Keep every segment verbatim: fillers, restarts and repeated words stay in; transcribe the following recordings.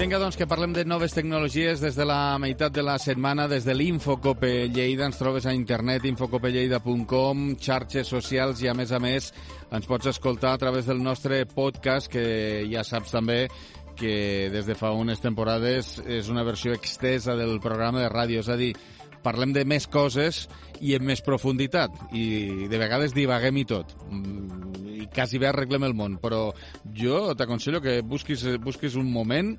Vinga, doncs, que parlem de noves tecnologies des de la meitat de la setmana, des de l'Infocope Lleida. Ens trobes a internet, infocope lleida punt com, xarxes socials i, a més a més, ens pots escoltar a través del nostre podcast, que ja saps també que des de fa unes temporades és una versió extesa del programa de ràdio, és a dir, parlem de més coses i en més profunditat, i de vegades divaguem i tot, i quasi bé arreglem el món, però jo t'aconsello que busquis, busquis un moment,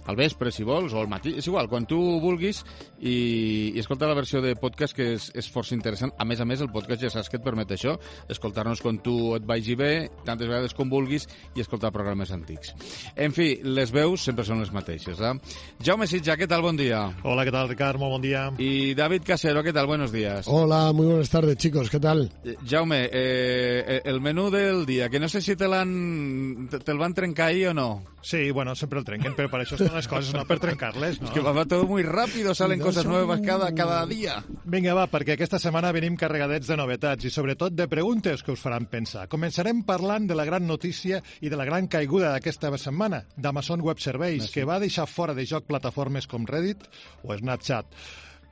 al vespre si vols, o al matí, és igual, quan tu vulguis, i, i escolta la versió de podcast, que és, és força interessant. A més a més, el podcast ja saps que et permet això, escoltar-nos quan tu et vagi bé, tantes vegades com vulguis, i escoltar programes antics. En fi, les veus sempre són les mateixes, eh? Jaume Sitja, què tal? Bon dia. Hola, ¿qué tal, Ricard? Muy buen día. Y David Casero, ¿qué tal? Buenos días. Hola, muy buenas tardes, chicos, ¿qué tal? Eh, Jaume, eh, el menú del día, que no sé si te l'han te, te'l van trencar ahí o no. Sí, bueno, sempre el trenquen, però per això estan les coses, no per trencar-les, no? Es que va todo muy rápido, salen No cosas son- nuevas cada, cada día. Vinga, va, perquè aquesta setmana venim carregadets de novetats i sobretot de preguntes que us faran pensar. Començarem parlant de la gran notícia i de la gran caiguda d'aquesta setmana, d'Amazon Web Services, que va deixar fora de joc plataformes com Reddit o Snapchat.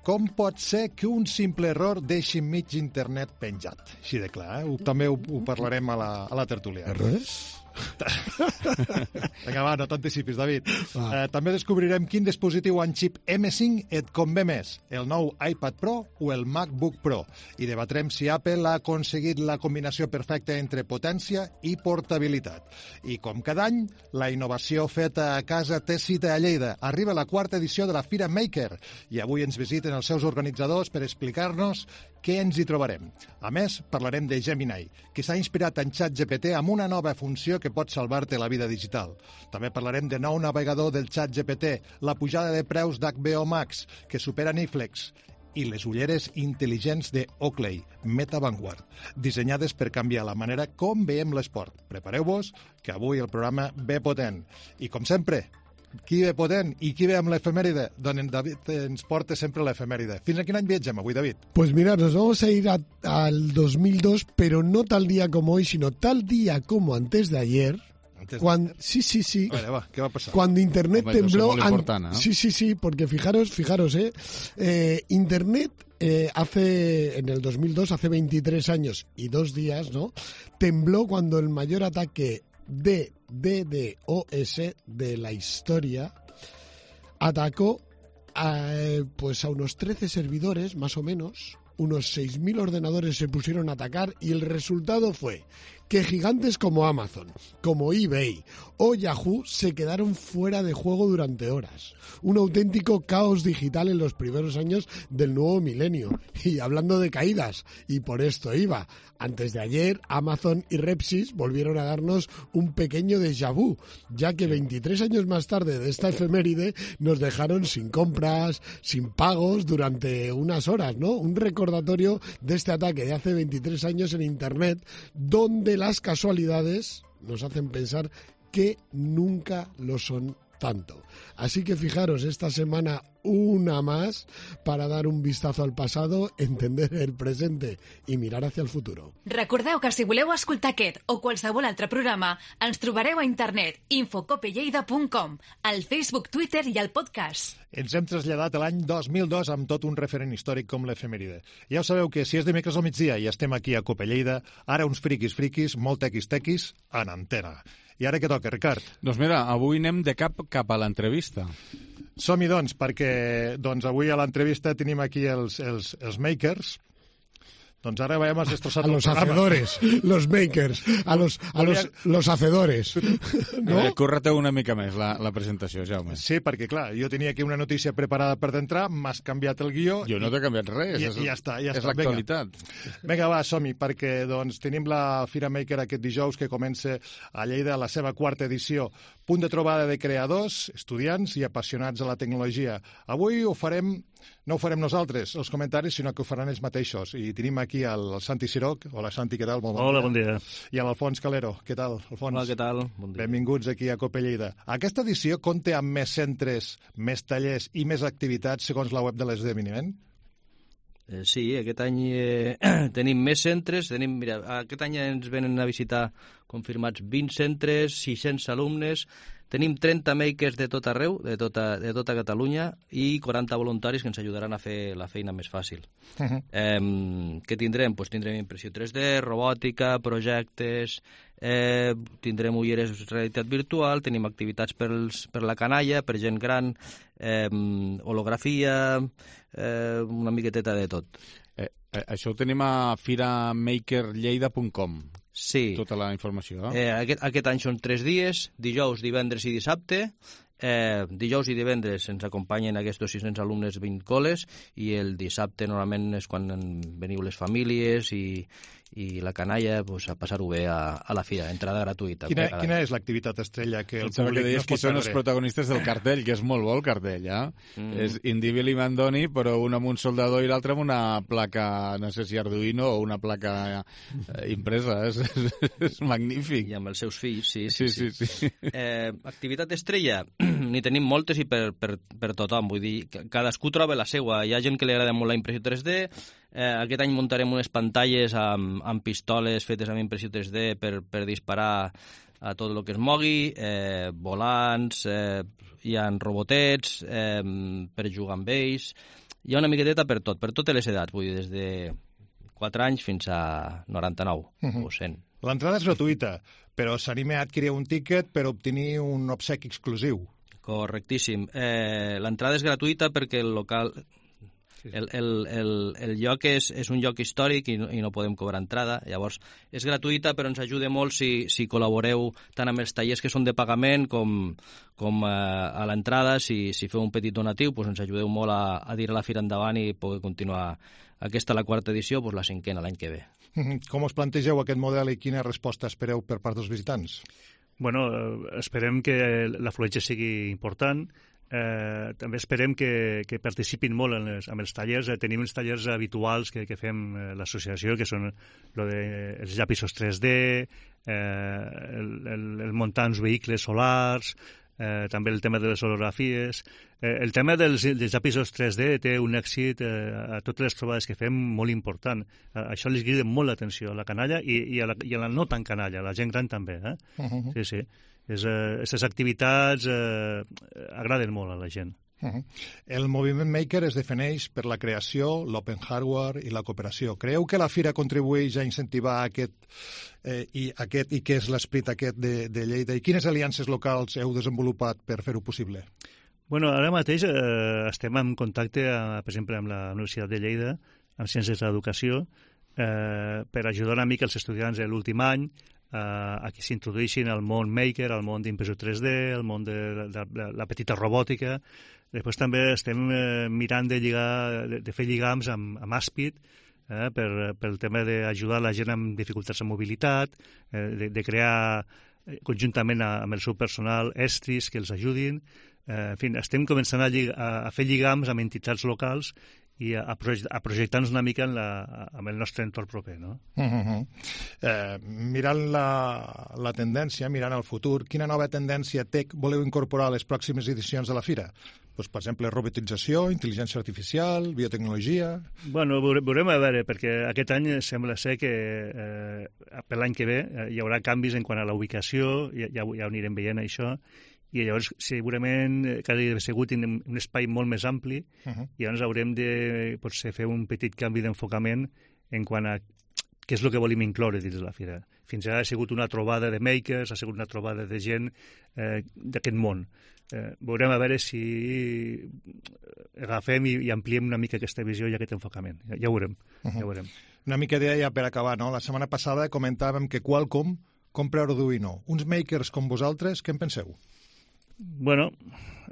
Com pot ser que un simple error deixi mig internet penjat? Així de clar, eh? Ho, també ho, ho parlarem a la, a la tertúlia. ¿Errores? Vinga, va, no t'anticipis, David. Va. Eh, també descobrirem quin dispositiu amb xip eme cinc et convé més, el nou iPad Pro o el MacBook Pro. I debatrem si Apple ha aconseguit la combinació perfecta entre potència i portabilitat. I com cada any, la innovació feta a casa té cita a Lleida. Arriba la quarta edició de la Fira Maker i avui ens visiten els seus organitzadors per explicar-nos què ens hi trobarem. A més, parlarem de Gemini, que s'ha inspirat en ChatGPT amb una nova funció que pot salvar-te la vida digital. També parlarem de nou navegador del ChatGPT, la pujada de preus d'H B O Max, que supera Netflix, i les ulleres intel·ligents de Oakley, Meta Vanguard, dissenyades per canviar la manera com veiem l'esport. Prepareu-vos, que avui el programa ve potent. I, com sempre, qui ve potent i qui ve amb l'efemèride? Doncs en David ens porta sempre l'efemèride. Fins a quin any viatgem avui, David? Pues mirad, nos vamos a ir a- al dos mil dos, pero no tal día como hoy, sino tal día como antes de ayer. Antes de Cuando, ayer. sí, sí, sí. A veure, va, què va passar? Cuando Internet Hombre, eso es tembló... muy an- importante, ¿no? Sí, sí, sí, porque fijaros, fijaros, ¿eh? eh Internet eh, hace, en el dos mil dos, hace veintitrés años y dos días, ¿no? Tembló cuando el mayor ataque de DDoS de la historia atacó a, eh, pues a unos trece servidores, más o menos. Unos seis mil ordenadores se pusieron a atacar y el resultado fue que gigantes como Amazon, como eBay o Yahoo se quedaron fuera de juego durante horas. Un auténtico caos digital en los primeros años del nuevo milenio. Y hablando de caídas, y por esto iba, antes de ayer Amazon y Repsys volvieron a darnos un pequeño déjà vu, ya que veintitrés años más tarde de esta efeméride nos dejaron sin compras, sin pagos durante unas horas, ¿no? Un recordatorio de este ataque de hace veintitrés años en Internet, donde las casualidades nos hacen pensar que nunca lo son tanto. Así que fijaros, esta semana una más para dar un vistazo al pasado, entender el presente i mirar hacia el futuro. Recordeu que si voleu escoltar aquest o qualsevol altre programa, ens trobareu a internet infocope lleida punt com, al Facebook, Twitter i al podcast. Ens hem traslladat a l'any dos mil dos amb tot un referent històric com l'efemèride. Ja ho sabeu que si és dimecres al migdia i estem aquí a Cope Lleida, ara uns friquis friquis, molt tequis tequis, en antena. I ara què toca, Ricard? Doncs mira, avui anem de cap cap a l'entrevista. Som-hi, doncs, perquè doncs, avui a l'entrevista tenim aquí els, els, els makers. Doncs ara veiem els destrossat A los hacedores, los makers, a los, a los, los hacedores. No? Eh, Córrate una mica més la, la presentació, Jaume. Sí, perquè, clar, jo tenia aquí una notícia preparada per d'entrar, m'has canviat el guió... Jo no t'he canviat res. I, és, i ja està, ja és està. l'actualitat. Vinga, va, som-hi, perquè doncs, tenim la Fira Maker aquest dijous que comença a Lleida la seva quarta edició. Punt de trobada de creadors, estudiants i apassionats a la tecnologia. Avui ho farem... No ho farem nosaltres, els comentaris, sinó que ho faran ells mateixos. I tenim aquí el Santi Siroc. Hola, Santi, què tal? Molt Hola, bon dia. I l'Alfons Calero. Què tal, Alfons? Hola, què tal? Bon dia. Benvinguts aquí a Cope Lleida. Aquesta edició compta amb més centres, més tallers i més activitats segons la web de l'esdeveniment? Eh, sí, aquest any eh, tenim més centres. Tenim, mira, aquest any ens venen a visitar confirmats vint centres, sis-cents alumnes, tenim trenta makers de tot arreu, de tota, de tota Catalunya, i quaranta voluntaris que ens ajudaran a fer la feina més fàcil. Uh -huh. eh, què tindrem? Pues tindrem impressió tres D, robòtica, projectes, eh, tindrem ulleres de realitat virtual, tenim activitats pels, per la canalla, per gent gran, eh, holografia, eh, una miqueteta de tot. Eh, eh, això ho tenim a fira maker lleida punt com. Sí. Tota la informació. Eh, aquest, aquest any són tres dies, dijous, divendres i dissabte. Eh, dijous i divendres ens acompanyen aquests sis-cents alumnes vint coles, i el dissabte normalment és quan veniu les famílies i, i la canalla, pues, a passar-ho bé a, a la fira, entrada gratuïta. Quina, quina és l'activitat estrella que el Pensava públic que deies no es qui pot són els perdre? protagonistes del cartell, que és molt bo el cartell, eh? Mm. És Indivil i Mandoni, però un amb un soldador i l'altre amb una placa, no sé si Arduino o una placa eh, impresa. És, és, és magnífic. I amb els seus fills, sí, sí, Sí, sí. sí, sí. Eh, activitat estrella, n'hi tenim moltes i per, per, per tothom, vull dir, cadascú troba la seua. Hi ha gent que li agrada molt la impressió tres D, eh, aquest any muntarem unes pantalles amb, amb pistoles fetes amb impressió tres D per, per disparar a tot el que es mogui, eh, volants, eh, hi ha robotets eh, per jugar amb ells, hi ha una miqueteta per tot, per totes les edats, vull dir, des de quatre anys fins a noranta-nou uh-huh. o cent. L'entrada és gratuïta, però s'anima a adquirir un tíquet per obtenir un obsequi exclusiu. Correctíssim. Eh, l'entrada és gratuïta perquè el local... El, el, el, el lloc és, és un lloc històric i no, i no podem cobrar entrada. Llavors, és gratuïta, però ens ajuda molt si, si col·laboreu tant amb els tallers que són de pagament com, com eh, a l'entrada. Si, si feu un petit donatiu, doncs ens ajudeu molt a, a tirar la fira endavant i poder continuar. Aquesta, la quarta edició, doncs la cinquena l'any que ve. Com us plantegeu aquest model i quina resposta espereu per part dels visitants? Bueno, esperem que l'afluència sigui important. Eh, també esperem que, que participin molt en les, en els tallers. Eh, tenim els tallers habituals que, que fem eh, l'associació, que són lo de, els llapisos tres D, eh, el, el, el muntar uns vehicles solars, eh, també el tema de les holografies. Eh, el tema dels, dels llapisos tres D té un èxit eh, a totes les trobades que fem molt important. Eh, això li crida molt l'atenció a la canalla i, i, a la, i a la no tan canalla, a la gent gran també. Eh? Uh-huh. Sí, sí. Aquestes eh, activitats eh, agraden molt a la gent. Uh-huh. El moviment maker es defineix per la creació, l'open hardware i la cooperació. Creu que la fira contribueix a incentivar aquest, eh, i, aquest, i què és l'esperit aquest de, de Lleida? I quines aliances locals heu desenvolupat per fer-ho possible? Bueno, ara mateix eh, estem en contacte, eh, per exemple, amb la Universitat de Lleida, amb Ciències de l'Educació, eh, per ajudar una mica els estudiants de l'últim any Uh, a que s'introduïssin al món maker, al món d'impressió tres D, al món de la, de, de la petita robòtica. Després també estem eh, mirant de, lligar, de, de fer lligams amb, amb Aspid, eh, per, pel tema d'ajudar la gent amb dificultats de mobilitat, eh, de, de crear conjuntament a, amb el seu personal estris que els ajudin. Eh, en fi, estem començant a, llig a, a fer lligams amb entitats locals i a, a, proje a projectar-nos una mica en la, amb el nostre entorn proper, no? Uh -huh. eh, mirant la, la tendència, mirant el futur, quina nova tendència tech voleu incorporar a les pròximes edicions de la fira? Pues, per exemple, robotització, intel·ligència artificial, biotecnologia... Bueno, veurem a veure, perquè aquest any sembla ser que eh, per l'any que ve eh, hi haurà canvis en quant a la ubicació, ja, ja, ja ho anirem veient això, i llavors segurament cada dia ha sigut un, un espai molt més ampli, uh-huh. i llavors haurem de potser fer un petit canvi d'enfocament en quant a què és el que volim incloure dins de la fira. Fins ara ha sigut una trobada de makers, ha sigut una trobada de gent eh, d'aquest món. Eh, veurem a veure si agafem i, i ampliem una mica aquesta visió i aquest enfocament. Ja, ja ho veurem. Uh-huh. Ja ho veurem. Una mica d'idea per acabar, no? La setmana passada comentàvem que Qualcomm compra Arduino. Uns makers com vosaltres, què en penseu? Bueno,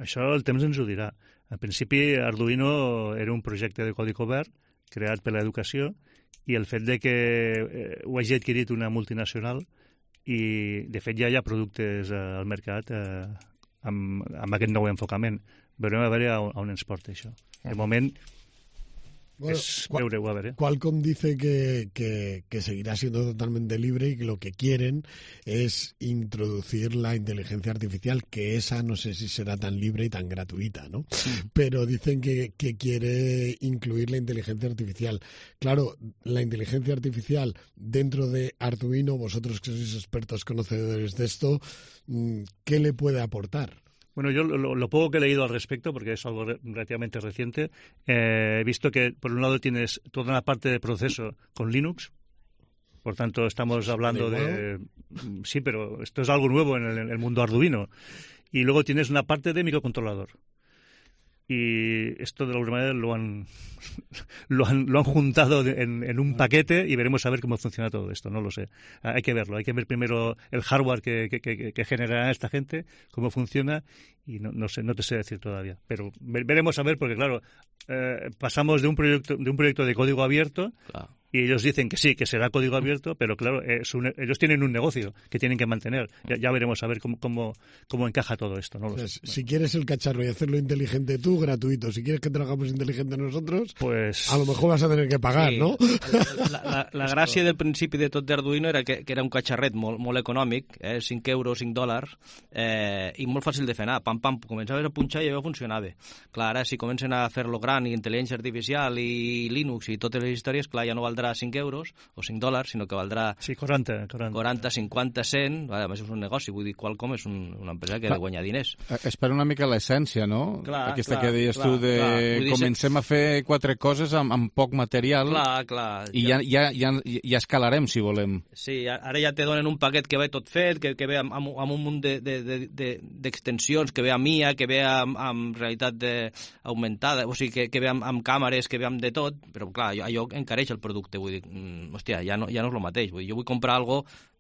això el temps ens ho dirà. En principi, Arduino era un projecte de codi obert creat per l'educació i el fet de que eh, ho hagi adquirit una multinacional i, de fet, ja hi ha productes eh, al mercat eh, amb, amb aquest nou enfocament. Veurem a veure on, on ens porta això. De moment, Bueno, es veure-ho, a veure. Qualcomm dice que, que, que seguirá siendo totalmente libre y que lo que quieren es introducir la inteligencia artificial, que esa no sé si será tan libre y tan gratuita, ¿no? Mm. Pero dicen que, que quiere incluir la inteligencia artificial. Claro, la inteligencia artificial dentro de Arduino, vosotros que sois expertos conocedores de esto, ¿qué le puede aportar? Bueno, yo lo, lo poco que he leído al respecto, porque es algo re, relativamente reciente, eh, he visto que por un lado tienes toda una parte de proceso con Linux, por tanto estamos hablando de... Sí, pero esto es algo nuevo en el, en el mundo Arduino. Y luego tienes una parte de microcontrolador. Y esto de alguna manera lo han lo han, lo han juntado en, en un paquete y veremos a ver cómo funciona todo esto, no lo sé. Hay que verlo, hay que ver primero el hardware que, que, que, que generará esta gente, cómo funciona, y no, no sé, no te sé decir todavía. Pero veremos a ver, porque claro, eh, pasamos de un proyecto de un proyecto de código abierto, claro. Y ellos dicen que sí, que será código abierto, pero claro, es un, ellos tienen un negocio que tienen que mantener. Ya, ya veremos a ver cómo, cómo, cómo encaja todo esto. ¿No? Pues, si quieres el cacharro y hacerlo inteligente tú, gratuito. Si quieres que trabajamos inteligente nosotros, pues a lo mejor vas a tener que pagar, sí. ¿no? La, la, la gràcia del principi de tot d'Arduino era que, que era un catxarret molt, molt econòmic, eh, cinc euros, cinc dòlars, eh, i molt fàcil de fer anar. Pam, pam, començaves a punxar i allò funcionava. Clar, ara si comencen a fer-lo gran i intel·ligència artificial i Linux i totes les històries, clar, ja no valdrà cinc euros o cinc dòlars, sinó que valdrà sí, quaranta, quaranta. quaranta, cinquanta, cent, vale, a més és un negoci, vull dir, Qualcomm és un, una empresa que ha de guanyar diners. Es perd una mica l'essència, no? Clar, Aquesta clar, que deies clar, tu de clar. comencem a fer quatre coses amb, amb poc material clar, clar, i ja, ja, ja, ja escalarem, si volem. Sí, ara ja te donen un paquet que ve tot fet, que, que ve amb, amb, amb un munt d'extensions, de, de, de, que ve amb I A, que ve amb, amb realitat de, augmentada, o sigui, que, que ve amb, amb càmeres, que ve amb de tot, però clar, allò, allò encareix el producte, vull dir, mm, hòstia, ja no, ja no és el mateix, vull dir, jo vull comprar algo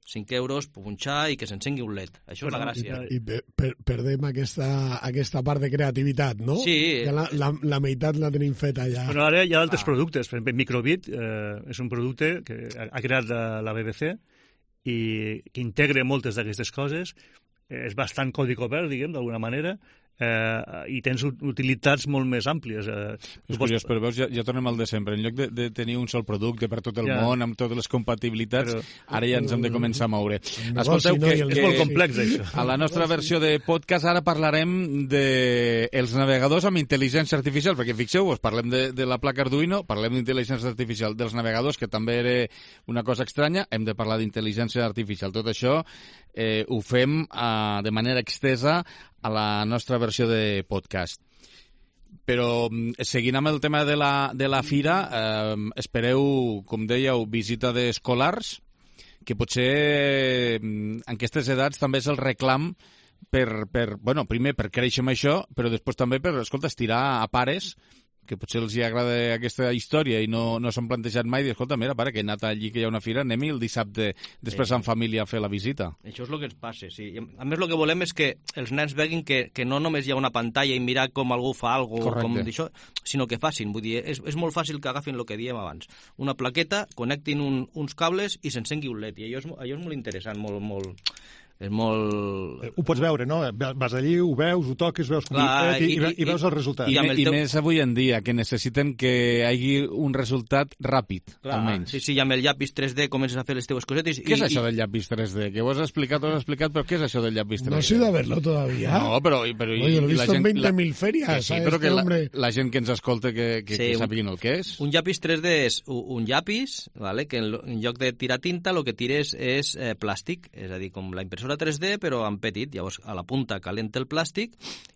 cinc euros, punxar i que s'encengui un led. Això és la gràcia. I, i per, perdem aquesta, aquesta part de creativitat, no? Sí. Que la, la, la meitat la tenim feta ja. Bueno, ara hi ha altres ah. productes. Per exemple, Microbit eh, és un producte que ha creat la, la B B C i que integra moltes d'aquestes coses. Eh, és bastant codi obert, diguem, d'alguna manera, eh, i tens utilitats molt més àmplies. Eh, és curiós, però veus, ja, ja tornem al de sempre. En lloc de, de tenir un sol producte per tot el ja. món, amb totes les compatibilitats, però, ara ja ens hem de començar a moure. Escolteu, no, que, que és molt complex, això. A la nostra versió de podcast ara parlarem de els navegadors amb intel·ligència artificial, perquè fixeu-vos, parlem de, de la placa Arduino, parlem d'intel·ligència artificial dels navegadors, que també era una cosa estranya, hem de parlar d'intel·ligència artificial. Tot això eh, ho fem eh, de manera extesa a la nostra versió de podcast. Però seguint amb el tema de la, de la fira, eh, espereu, com dèieu, visita d'escolars, que potser en aquestes edats també és el reclam per, per, bueno, primer per créixer amb això, però després també per, escolta, estirar a pares que potser els hi agrada aquesta història i no, no s'han plantejat mai, i escolta, mira, pare, que he anat allí que hi ha una fira, anem-hi el dissabte després sí. en família a fer la visita. Això és el que ens passa, sí. A més, el que volem és que els nens veguin que, que no només hi ha una pantalla i mirar com algú fa alguna cosa, com d'això, sinó que facin. Vull dir, és, és molt fàcil que agafin el que diem abans. Una plaqueta, connectin un, uns cables i s'encengui un led, i allò és, allò és molt interessant, molt... molt és molt... Ho pots veure, no? Vas allí, ho veus, ho toques, veus com Clar, i, i, i, i veus el resultat. I, i, i teu... més avui en dia, que necessiten que hi hagi un resultat ràpid, Clar, almenys. Sí, sí, i amb el llapis tres D comences a fer les teves cosetes. Què i, és això i... del llapis tres D? Que ho has explicat, ho has explicat, però què és això del llapis tres D? No sé de verlo todavía. No, però... però Oye, lo he visto en veinte mil ferias. Sí, però que la, la gent que ens escolta que, que, sí, que sàpiguin el que és. Un llapis tres D és un llapis, vale, que en, en lloc de tirar tinta, el que tires és eh, plàstic, és a dir, com la impressora tres D, però amb petit, llavors a la punta calenta el plàstic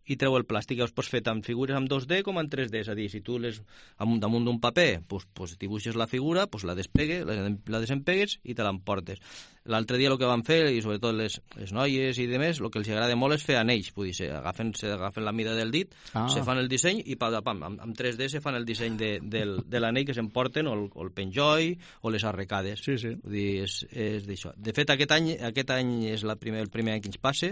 i treu el plàstic. Llavors pots fer tant figures en dos D com en tres D, és a dir, si tu les damunt d'un paper pues, pues, dibuixes la figura, pues, la despegues, la, la desempegues i te l'emportes. L'altre dia el que van fer, i sobretot les, les noies i demés, el que els agrada molt és fer anells, vull dir, se agafen, se agafen la mida del dit, ah. se fan el disseny i pam, pam, amb, amb tres D se fan el disseny de, del, de l'anell que s'emporten, o el, o el penjoll, o les arrecades. Sí, sí. Vull dir, és, és d'això. De fet, aquest any, aquest any és la primer, el primer any que ens passa,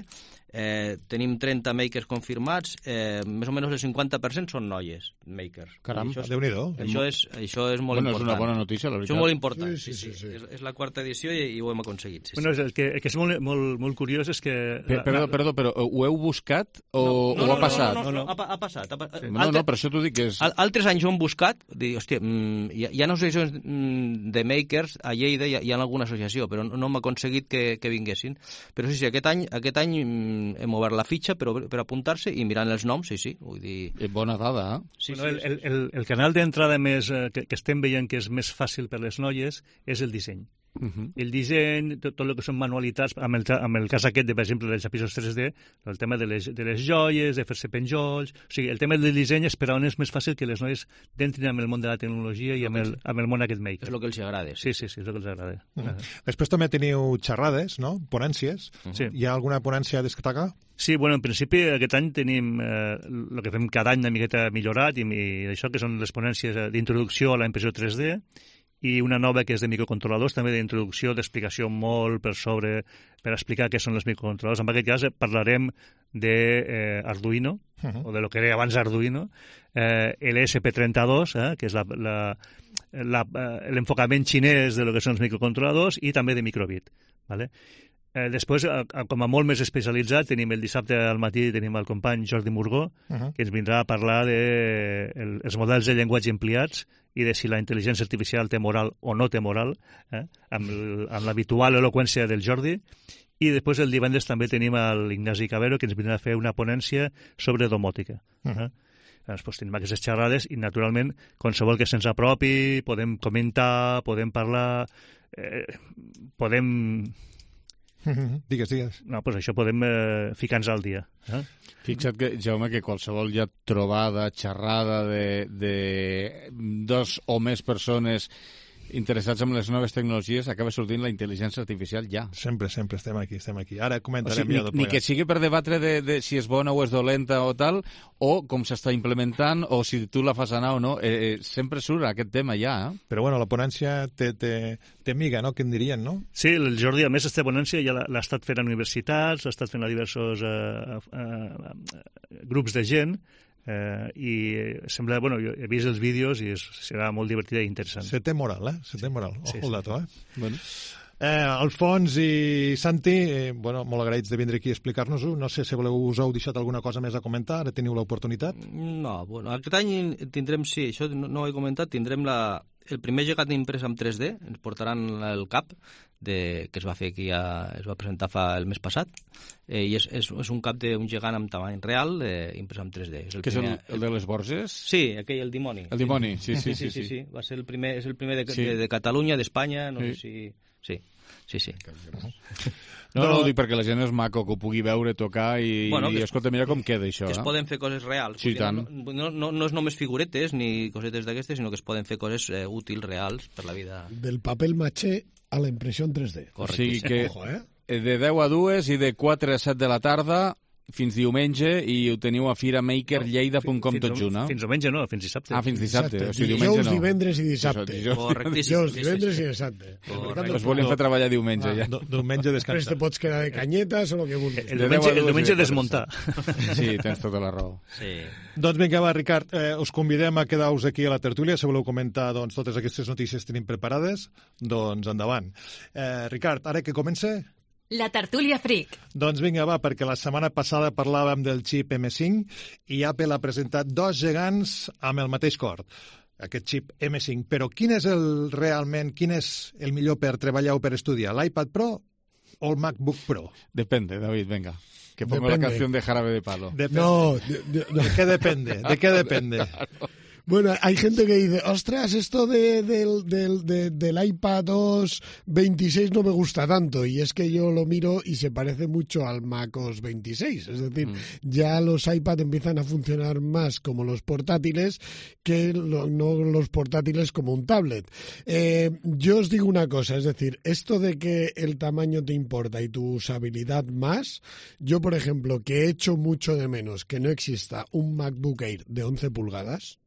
eh, tenim trenta makers confirmats, eh, més o menys el cinquanta per cent són noies, makers. Caram, això és, Déu-n'hi-do. Això és, això és molt bueno, important. És una bona notícia, la veritat. Això és molt important, sí, sí, sí, sí, sí. És, és la quarta edició i, i ho hem aconseguit. aconseguit. Sí, bueno, sí. el que, el que és molt, molt, molt curiós és que... Per, perdó, perdó, però ho heu buscat o, no, no, o no, ha passat? No, no, no, no, ha, ha passat. Ha, sí, no, no, per això t'ho dic que és... Al, altres anys ho hem buscat, dir, hòstia, mm, hi, ha, hi ha associacions mm, de makers a Lleida, hi ha, hi ha alguna associació, però no, no m'ha aconseguit que, que vinguessin. Però sí, sí, aquest any, aquest any mm, hem obert la fitxa per, per apuntar-se i mirant els noms, sí, sí. Vull dir... Bona dada, eh? Sí, bueno, sí, el, el, el canal d'entrada més eh, que, que estem veient que és més fàcil per les noies és el disseny. Uh -huh. El disseny, tot, tot el que són manualitats, amb el, amb el cas aquest, de, per exemple, dels llapisos tres D, el tema de les, de les joies, de fer-se penjolls... O sigui, el tema del disseny és per on és més fàcil que les noies entrin en el món de la tecnologia i amb el, amb el món aquest maker. És el que els agrada. Sí, sí, sí, és el que els agrada. Uh -huh. Després també teniu xerrades, no? Ponències. Uh -huh. Sí. Hi ha alguna ponència a destacar? Sí, bueno, en principi aquest any tenim eh, el que fem cada any una miqueta millorat i, i això que són les ponències d'introducció a la impressió tres D i una nova que és de microcontroladors, també d'introducció, d'explicació molt per sobre, per explicar què són els microcontroladors. En aquest cas parlarem d'Arduino, eh, uh -huh. o de lo que era abans Arduino, eh, el E S P trenta-dos, eh, que és l'enfocament xinès de lo que són els microcontroladors, i també de microbit. ¿Vale? Eh, després, com a molt més especialitzat, tenim el dissabte al matí tenim el company Jordi Murgó, uh -huh. que ens vindrà a parlar de el, els models de llenguatge empleats i de si la intel·ligència artificial té moral o no té moral, eh? amb, el, amb l'habitual eloqüència del Jordi. I després el divendres també tenim l'Ignasi Cabero, que ens vindrà a fer una ponència sobre domòtica. Uh -huh. eh? Doncs tenim aquestes xerrades i, naturalment, qualsevol que se'ns apropi, podem comentar, podem parlar, eh, podem... Digues, digues. No, doncs això podem eh, ficar-nos al dia. Eh? Fixa't, que, Jaume, que qualsevol ja trobada, xerrada de, de dos o més persones interessats en les noves tecnologies acaba sortint la intel·ligència artificial ja. Sempre, sempre estem aquí, estem aquí. Ara comentarem o sigui, ja ni, ni que sigui per debatre de, de si és bona o és dolenta o tal, o com s'està implementant, o si tu la fas anar o no. Eh, eh, sempre surt aquest tema ja, eh? Però bueno, la ponència té, té, té miga, no?, que en dirien, no? Sí, el Jordi, a més, aquesta ponència ja l'ha estat fent a universitats, l'ha estat fent a diversos eh, eh, grups de gent, Eh, i sembla, bueno, jo he vist els vídeos i és, serà molt divertida i interessant. Se té moral, eh? Se té moral. Ojo sí, el sí. dato, eh? Bueno. Eh, Alfons i Santi, eh, bueno, molt agraïts de vindre aquí a explicar-nos-ho. No sé si voleu, us heu deixat alguna cosa més a comentar, ara teniu l'oportunitat. No, bueno, aquest any tindrem, sí, això no, no ho he comentat, tindrem la, el primer gegant imprès amb tres D, ens portaran el cap, de, que es va fer aquí, a, es va presentar fa el mes passat, eh, i és, és, és un cap d'un gegant amb tamany real, eh, imprès amb tres D. És el que primer, és el, el de les Borges? Sí, aquell, el dimoni. El dimoni, sí, sí, sí. sí, sí, sí, sí. Va ser el primer, és el primer de, sí. de, de Catalunya, d'Espanya, no sí. sé si... Sí, sí, sí. No, no, ho dic perquè la gent és maco, que ho pugui veure, tocar i, bueno, i escolta, mira com queda això. Que es eh? poden fer coses reals. Sí, tant. No, no, no, no és només figuretes ni cosetes d'aquestes, sinó que es poden fer coses eh, útils, reals, per la vida. Del papel maché a la impressió en tres D. O sigui que Ojo, eh? de deu a dues i de quatre a set de la tarda fins diumenge, i ho teniu a fira maker lleida punt com tot junt, no? Fins diumenge no, fins dissabte. Ah, fins dissabte. dissabte. O sigui, diumenge Dijous, no. divendres i dissabte. Correctíssim. Dijous, divendres i dissabte. Us volien fer treballar diumenge, ja. Diumenge Després descansar. te pots quedar de canyetes o el que vulguis. El diumenge, el diumenge desmuntar. Sí, tens tota la raó. Sí. Doncs vinga, va, Ricard, eh, us convidem a quedar-vos aquí a la tertúlia. Si voleu comentar doncs, totes aquestes notícies que tenim preparades, doncs endavant. Eh, Ricard, ara que comence... La tertúlia Freak. Doncs vinga, va, perquè la setmana passada parlàvem del xip eme cinc i Apple ha presentat dos gegants amb el mateix cor, aquest xip eme cinc. Però quin és el realment, quin és el millor per treballar o per estudiar, l'iPad Pro o el MacBook Pro? Depende, David, venga. Que pongo Depende. la canción de Jarabe de Palo. Depende. No, de, de, ¿De qué depende? ¿De qué depende? Bueno, hay gente que dice, ostras, esto de, del, del, de, del iPad OS veintiséis no me gusta tanto. Y es que yo lo miro y se parece mucho al macOS veintiséis. Es decir, mm. ya los iPad empiezan a funcionar más como los portátiles que lo, no los portátiles como un tablet. Eh, yo os digo una cosa, es decir, esto de que el tamaño te importa y tu usabilidad más, yo, por ejemplo, que he hecho mucho de menos que no exista un MacBook Air de once pulgadas,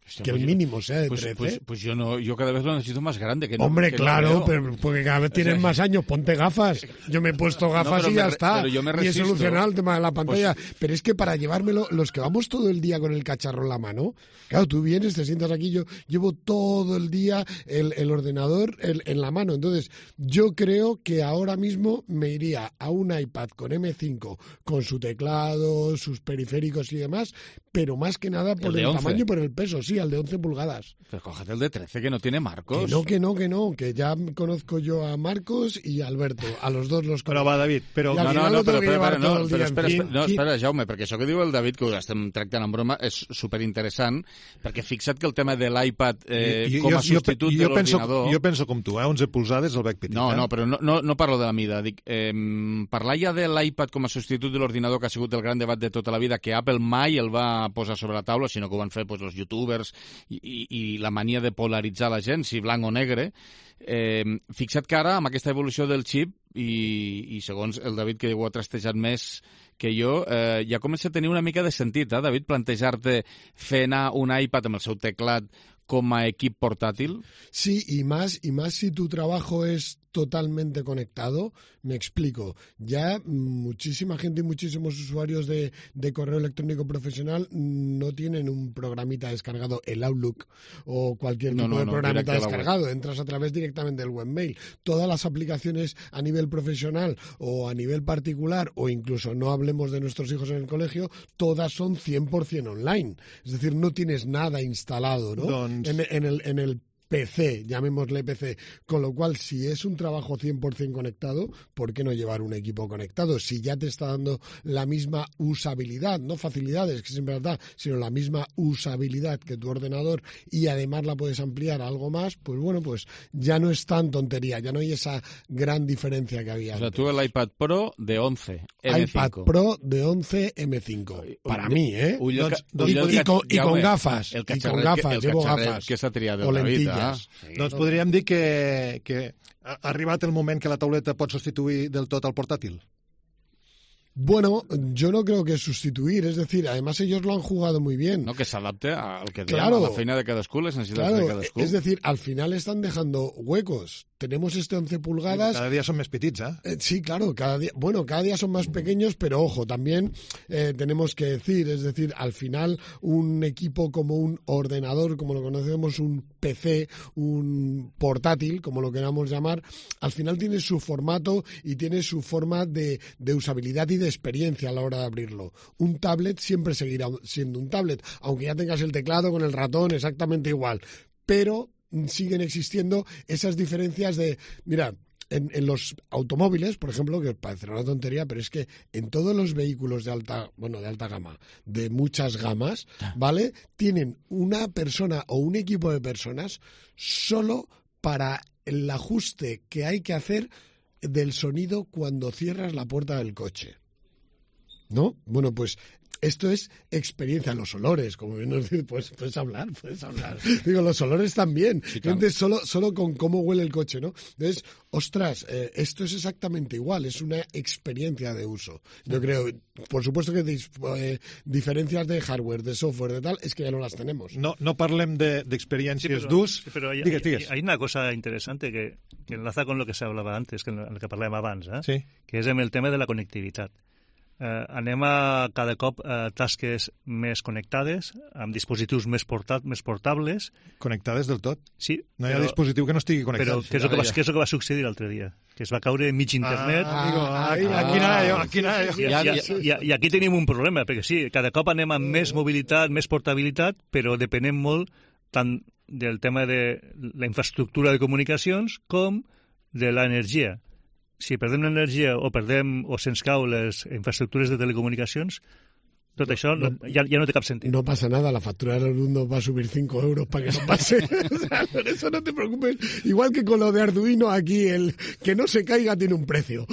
Hostia, que pues el yo- mínimo sea de Pues, trece. pues, pues yo no, yo cada vez lo necesito más grande. Que no, Hombre, que no claro, veo. pero porque cada vez tienes O sea, más años, ponte gafas. Yo me he puesto gafas pero y me ya re- está. pero yo me y he resisto. solucionado el tema de la pantalla. Pues- pero es que para llevármelo, los que vamos todo el día con el cacharro en la mano, claro, tú vienes, te sientas aquí, yo llevo todo el día el, el ordenador el- en la mano. Entonces, yo creo que ahora mismo me iría a un iPad con eme cinco, con su teclado, sus periféricos y demás, pero más que nada por de el, once. tamaño y por el peso, sí, al de once pulgadas. Pero cógete el de trece, que no tiene marcos. Que no, que no, que no, que ya conozco yo a Marcos y a Alberto, a los dos los Però conozco. va, David, però... I al No, no, final no, lo tengo però, que però, llevar però, todo no, el però día espera, encima. espera, no, espera, Jaume, perquè això que diu el David, que ho estem tractant en broma, és superinteressant, perquè fixa't que el tema de l'iPad eh, jo, com a jo, substitut jo, de jo penso, l'ordinador... jo penso com tu, eh? onze polzades el veig petit. No, eh? no, però no, no, no parlo de la mida. Dic, eh, parlar ja de l'iPad com a substitut de l'ordinador, que ha sigut el gran debat de tota la vida, que Apple mai el va posar sobre la taula, sinó que ho van fer pues, els youtubers i, i, i la mania de polaritzar la gent, si blanc o negre. Eh, fixa't que ara, amb aquesta evolució del xip, i, i segons el David, que ho ha trastejat més que jo, eh, ja comença a tenir una mica de sentit, eh, David, plantejar-te fer anar un iPad amb el seu teclat com a equip portàtil. Sí, y más, y más si tu trabajo es totalmente conectado. Me explico. Ya muchísima gente y muchísimos usuarios de, de correo electrónico profesional no tienen un programita descargado, el Outlook o cualquier No, tipo no, de no, programita directo a la descargado. Entras a través directamente del webmail. Todas las aplicaciones a nivel profesional o a nivel particular, o incluso no hablemos de nuestros hijos en el colegio, todas son cien por ciento online. Es decir, no tienes nada instalado, ¿no? Doncs- En, en el, en el P C, llamémosle P C, con lo cual si es un trabajo cien por ciento conectado, ¿por qué no llevar un equipo conectado? Si ya te está dando la misma usabilidad, no facilidades, que siempre da, sino la misma usabilidad que tu ordenador y además la puedes ampliar a algo más, pues bueno, pues ya no es tan tontería, ya no hay esa gran diferencia que había O sea, antes. tú el iPad Pro de once, eme cinco. iPad Pro de once eme cinco, para mí, ¿eh? Ull del Doncs- ca- I, ull del i, ca- con, i Jaume, con gafas, el i con catxarret gafas, que, el llevo catxarret gafas. que s'ha triat o del David, lentilles. ah? Sí. Doncs podríem dir que, que ha arribat el moment que la tauleta pot substituir del tot al portàtil. Bueno, yo no creo que sustituir, es decir, además ellos lo han jugado muy bien. No, que s'adapte al que diem, Claro. a la feina de cadascú, les necessitats Claro, de cadascú. es decir, al final están dejando huecos. Tenemos este once pulgadas. Cada dia són més petits, eh? Eh, Sí, claro, cada día, bueno, cada día son más pequeños, pero ojo, también eh, tenemos que decir, es decir, al final un equipo como un ordenador, como lo conocemos, un P C, un portátil, como lo queramos llamar, al final tiene su formato y tiene su forma de, de usabilidad y de experiencia a la hora de abrirlo. Un tablet siempre seguirá siendo un tablet, aunque ya tengas el teclado con el ratón exactamente igual, pero siguen existiendo esas diferencias de, mira, en, en los automóviles, por ejemplo, que parecerá una tontería, pero es que en todos los vehículos de alta, bueno, de alta gama, de muchas gamas, ¿vale? Tienen una persona o un equipo de personas solo para el ajuste que hay que hacer del sonido cuando cierras la puerta del coche. ¿No? Bueno, pues esto es experiencia, los olores, como bien nos dice, pues puedes hablar, puedes hablar. Digo, los olores también. Sí, Gente, solo, solo con cómo huele el coche, ¿no? Entonces, ostras, eh, esto es exactamente igual, es una experiencia de uso. Yo creo, por supuesto que dis, eh, diferencias de hardware, de software, de tal, es que ya no las tenemos. No, no parlem d'experiències de, Sí, pero, d'ús. sí, pero hay, Digues, hay- digues. hay una cosa interesante que, que enlaza con lo que se hablaba antes, que en el que parlàvem abans, eh? Sí. que és amb el tema de la connectivitat. Eh, anem a cada cop a tasques més connectades, amb dispositius més, portat, més portables. Connectades del tot. Sí, No hi ha però, dispositiu que no estigui connectat. però què és, el que va, Ja, ja. què és el que va succeir l'altre dia? Que es va caure mig internet. Ah, amigo, Ah, ahí, ah, aquí anava jo, ah, aquí anava jo. I, Ja, i, ja. i, I aquí tenim un problema, perquè sí, cada cop anem amb més mobilitat, més portabilitat, però depenem molt tant del tema de la infraestructura de comunicacions com de l'energia. Si perdem l'energia o perdem o se'ns cau les infraestructures de telecomunicacions, tot això no, ja, ja no té cap sentit. No pasa nada, la factura de la luz nos va a subir cinco euros para que no pase. O sea, por eso no te preocupes. Igual que con lo de Arduino, aquí el que no se caiga tiene un precio.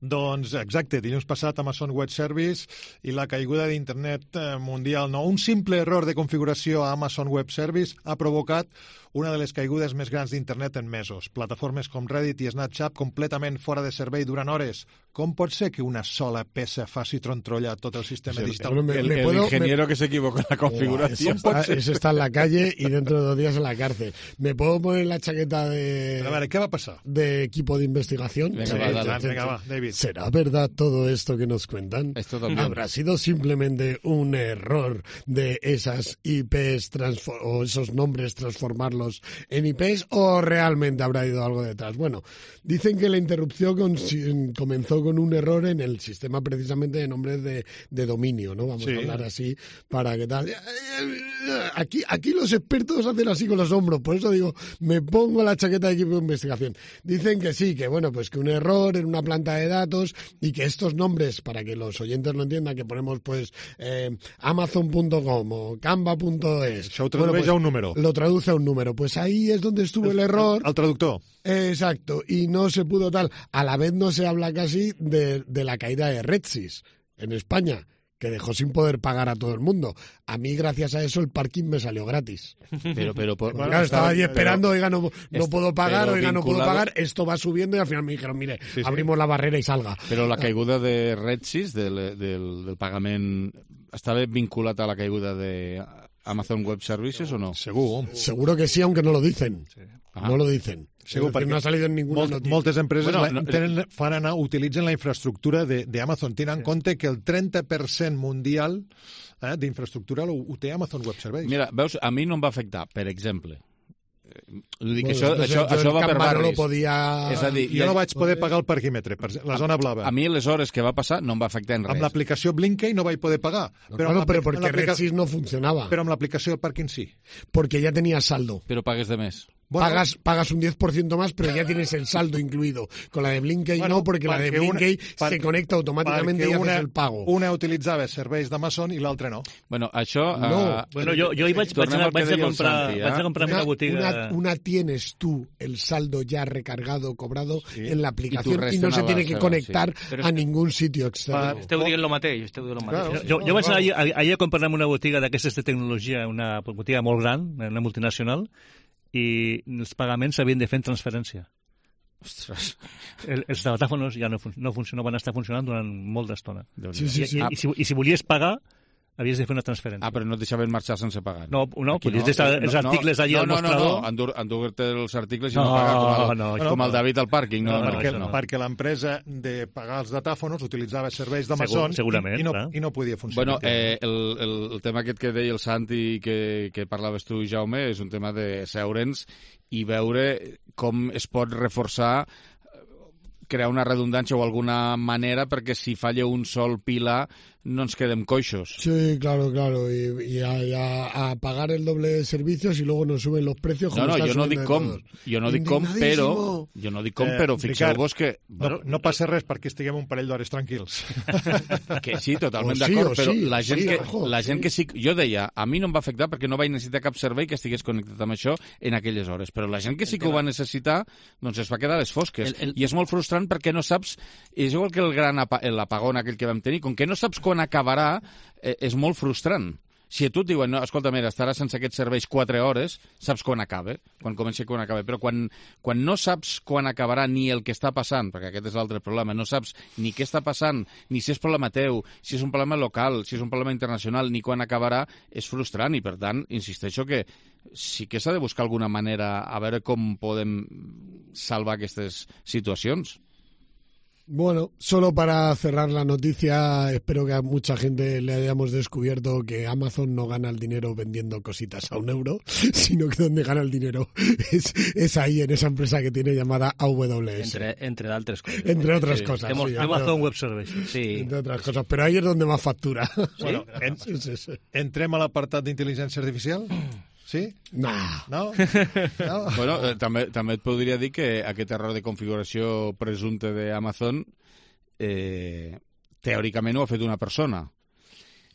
Doncs exacte, dilluns passat Amazon Web Service i la caiguda d'internet eh, mundial. No, un simple error de configuració a Amazon Web Service ha provocat una de les caigudes més grans d'internet en mesos. Plataformes com Reddit i Snapchat completament fora de servei durant hores. Com pot ser que una sola peça faci trontrolla tot el sistema Sí, digital? Bueno, me- El, me el puedo- ingeniero que se equivoca en la configuración. Eso está, eso está en la calle y dentro de dos días en la cárcel. ¿Me puedo poner la chaqueta de, Però a veure, què va passar? de equipo de investigación? Venga, Sí, va, dale. sí, sí. Venga, va, David. ¿Será verdad todo esto que nos cuentan? Es totalmente. ¿Habrá sido simplemente un error de esas I Pes transfo- o esos nombres transformarlos en I Pes o realmente habrá ido algo detrás? Bueno, dicen que la interrupción con- comenzó con un error en el sistema precisamente de nombres de, de dominio, ¿no? Vamos Sí. a hablar así para que tal. Aquí, aquí los expertos hacen así con los hombros, por eso digo, me pongo la chaqueta de equipo de investigación. Dicen que sí, que bueno, pues que un error en una planta de datos y que estos nombres, para que los oyentes lo entiendan, que ponemos pues eh, amazon punto com o canva punto es. Això ho tradueix a un número. Lo traduce a un número. Pues ahí es donde estuvo el error. El traductor. Exacto, y no se pudo tal. A la vez no se habla casi de, de la caída de Redsys en España, que dejó sin poder pagar a todo el mundo. A mí, gracias a eso, el parking me salió gratis. Pero, pero, por, Bueno, Claro, estaba estaba- allí esperando, oiga, no, no es- puedo pagar, pero oiga, no puedo vinculado- pagar, esto va subiendo y al final me dijeron, mire, Sí, sí. abrimos la barrera y salga. però la caiguda de Redsys, del, del, del pagament, estava vinculat a la caiguda de Amazon Web Services o no? Segur. Seguro que sí, aunque no lo dicen. Ah. No lo dicen. Segur, Es decir, perquè no ha salido en ninguna Molt, noticia. moltes empreses Bueno, bueno, no- tenen, fan anar, utilitzen la infraestructura de- d'Amazon. Tenen en compte que el trenta per cent mundial eh, d'infraestructura ho, ho té Amazon Web Services. Mira, veus, a mi no em va afectar, per exemple. Eh, Vull dir que Bueno, això, entonces això, yo això el va per Canva no lo barris. podía... És a dir, Jo no vaig poder pagar el parquímetre, per la zona blava. A mi les hores que va passar no em va afectar en Amb res. l'aplicació Blinkey no vaig poder pagar. No, Però, claro, amb pero l'aplica- porque amb l'aplica- Redsys no funcionaba. però amb l'aplicació del pàrquing sí. Porque ya tenía saldo. Però pagues de més. Bueno, pagas, pagas un diez por ciento más, pero ya tienes el saldo incluido. Con la de Blinkey Bueno, no, porque la de perquè una- Blinkey per- se conecta automáticamente y perquè haces una, el pago. una utilitzava serveis d'Amazon i l'altra no. Bueno, això... No. eh, Bueno, jo, jo hi vaig, vaig, Tornem anar, al que vaig, a deia el comprar, Santi, eh? vaig a comprar una, Una, botiga... una- una tienes tú el saldo ya recargado, cobrado Sí. en la aplicación y, resten no se a la tiene que seva, conectar sí. Però a és- ningún sitio externo. Per- Esteu dient el mateix, esteu dient el mateix. Claro. Jo, jo vaig anar allà, allà a comprar-me una botiga d'aquestes de tecnologia, una botiga molt gran, una multinacional, i els pagaments s'havien de fer en transferència. Ostres. El, els datàfonos ja no, fun no, funcionen, no van estar funcionant durant molt d'estona. Sí, sí, sí. I, i, si, I si volies pagar, havies de fer una transferència. Ah, però no et deixaven marxar sense pagar. No, no, Aquí podies deixar els articles allà no, al no, mostrador. No, no, endur, endur-te els articles i no, No, pagar com el, no, com això el no. David al pàrquing. No, No, no, no, perquè això no. perquè l'empresa de pagar els datàfonos utilitzava serveis Segur- d'Amazon segurament, i, i, no, clar. i no podia funcionar. Bueno, eh, el, el, el tema aquest que deia el Santi que, que parlaves tu, Jaume, és un tema de seure'ns i veure com es pot reforçar, crear una redundància o alguna manera perquè si falla un sol pilar no ens quedem coixos. Sí, claro, claro. Y, y a, y a- a pagar el doble de servicios y luego nos suben los precios. No, como no, están jo no subiendo dic de com, todos. jo no dic com, però jo no dic com, Eh, però Ricard, fixeu-vos que, No, no passa res perquè estiguem un parell d'hores tranquils. que sí, totalment O sí, d'acord, o però sí, la gent, sí, que, ojo, la gent sí. que sí... Jo deia, a mi no em va afectar perquè no vaig necessitar cap servei que estigués connectat amb això en aquelles hores, però la gent que sí que ho va necessitar, doncs es va quedar a les fosques. El- el- I és molt frustrant perquè no saps... És igual que el gran apa l'apagón aquell que vam tenir, com que no saps quan acabarà, eh, és molt frustrant. Si a tu et diuen, no, escolta, mira, estaràs sense aquests serveis quatre hores, saps quan acaba, quan comença i quan acaba. Però quan, quan no saps quan acabarà ni el que està passant, perquè aquest és l'altre problema, no saps ni què està passant, ni si és problema teu, si és un problema local, si és un problema internacional, ni quan acabarà, és frustrant. I, per tant, insisteixo que sí que s'ha de buscar alguna manera a veure com podem salvar aquestes situacions. Bueno, solo para cerrar la noticia, espero que a mucha gente le hayamos descubierto que Amazon no gana el dinero vendiendo cositas a un euro, sino que donde gana el dinero es, es ahí, en esa empresa que tiene llamada A W S. Entre, entre d'altres coses. Entre otras Sí. cosas. Hemos- sí, Amazon Web Services. Sí. entre otras cosas. Pero ahí es donde más factura. Bueno, en, Sí, sí, sí. entrem a l'apartat d'intel·ligència artificial? Sí? Nah. No? no? Bueno, eh, també, també et podria dir que aquest error de configuració presumpte d'Amazon eh, teòricament ho ha fet una persona.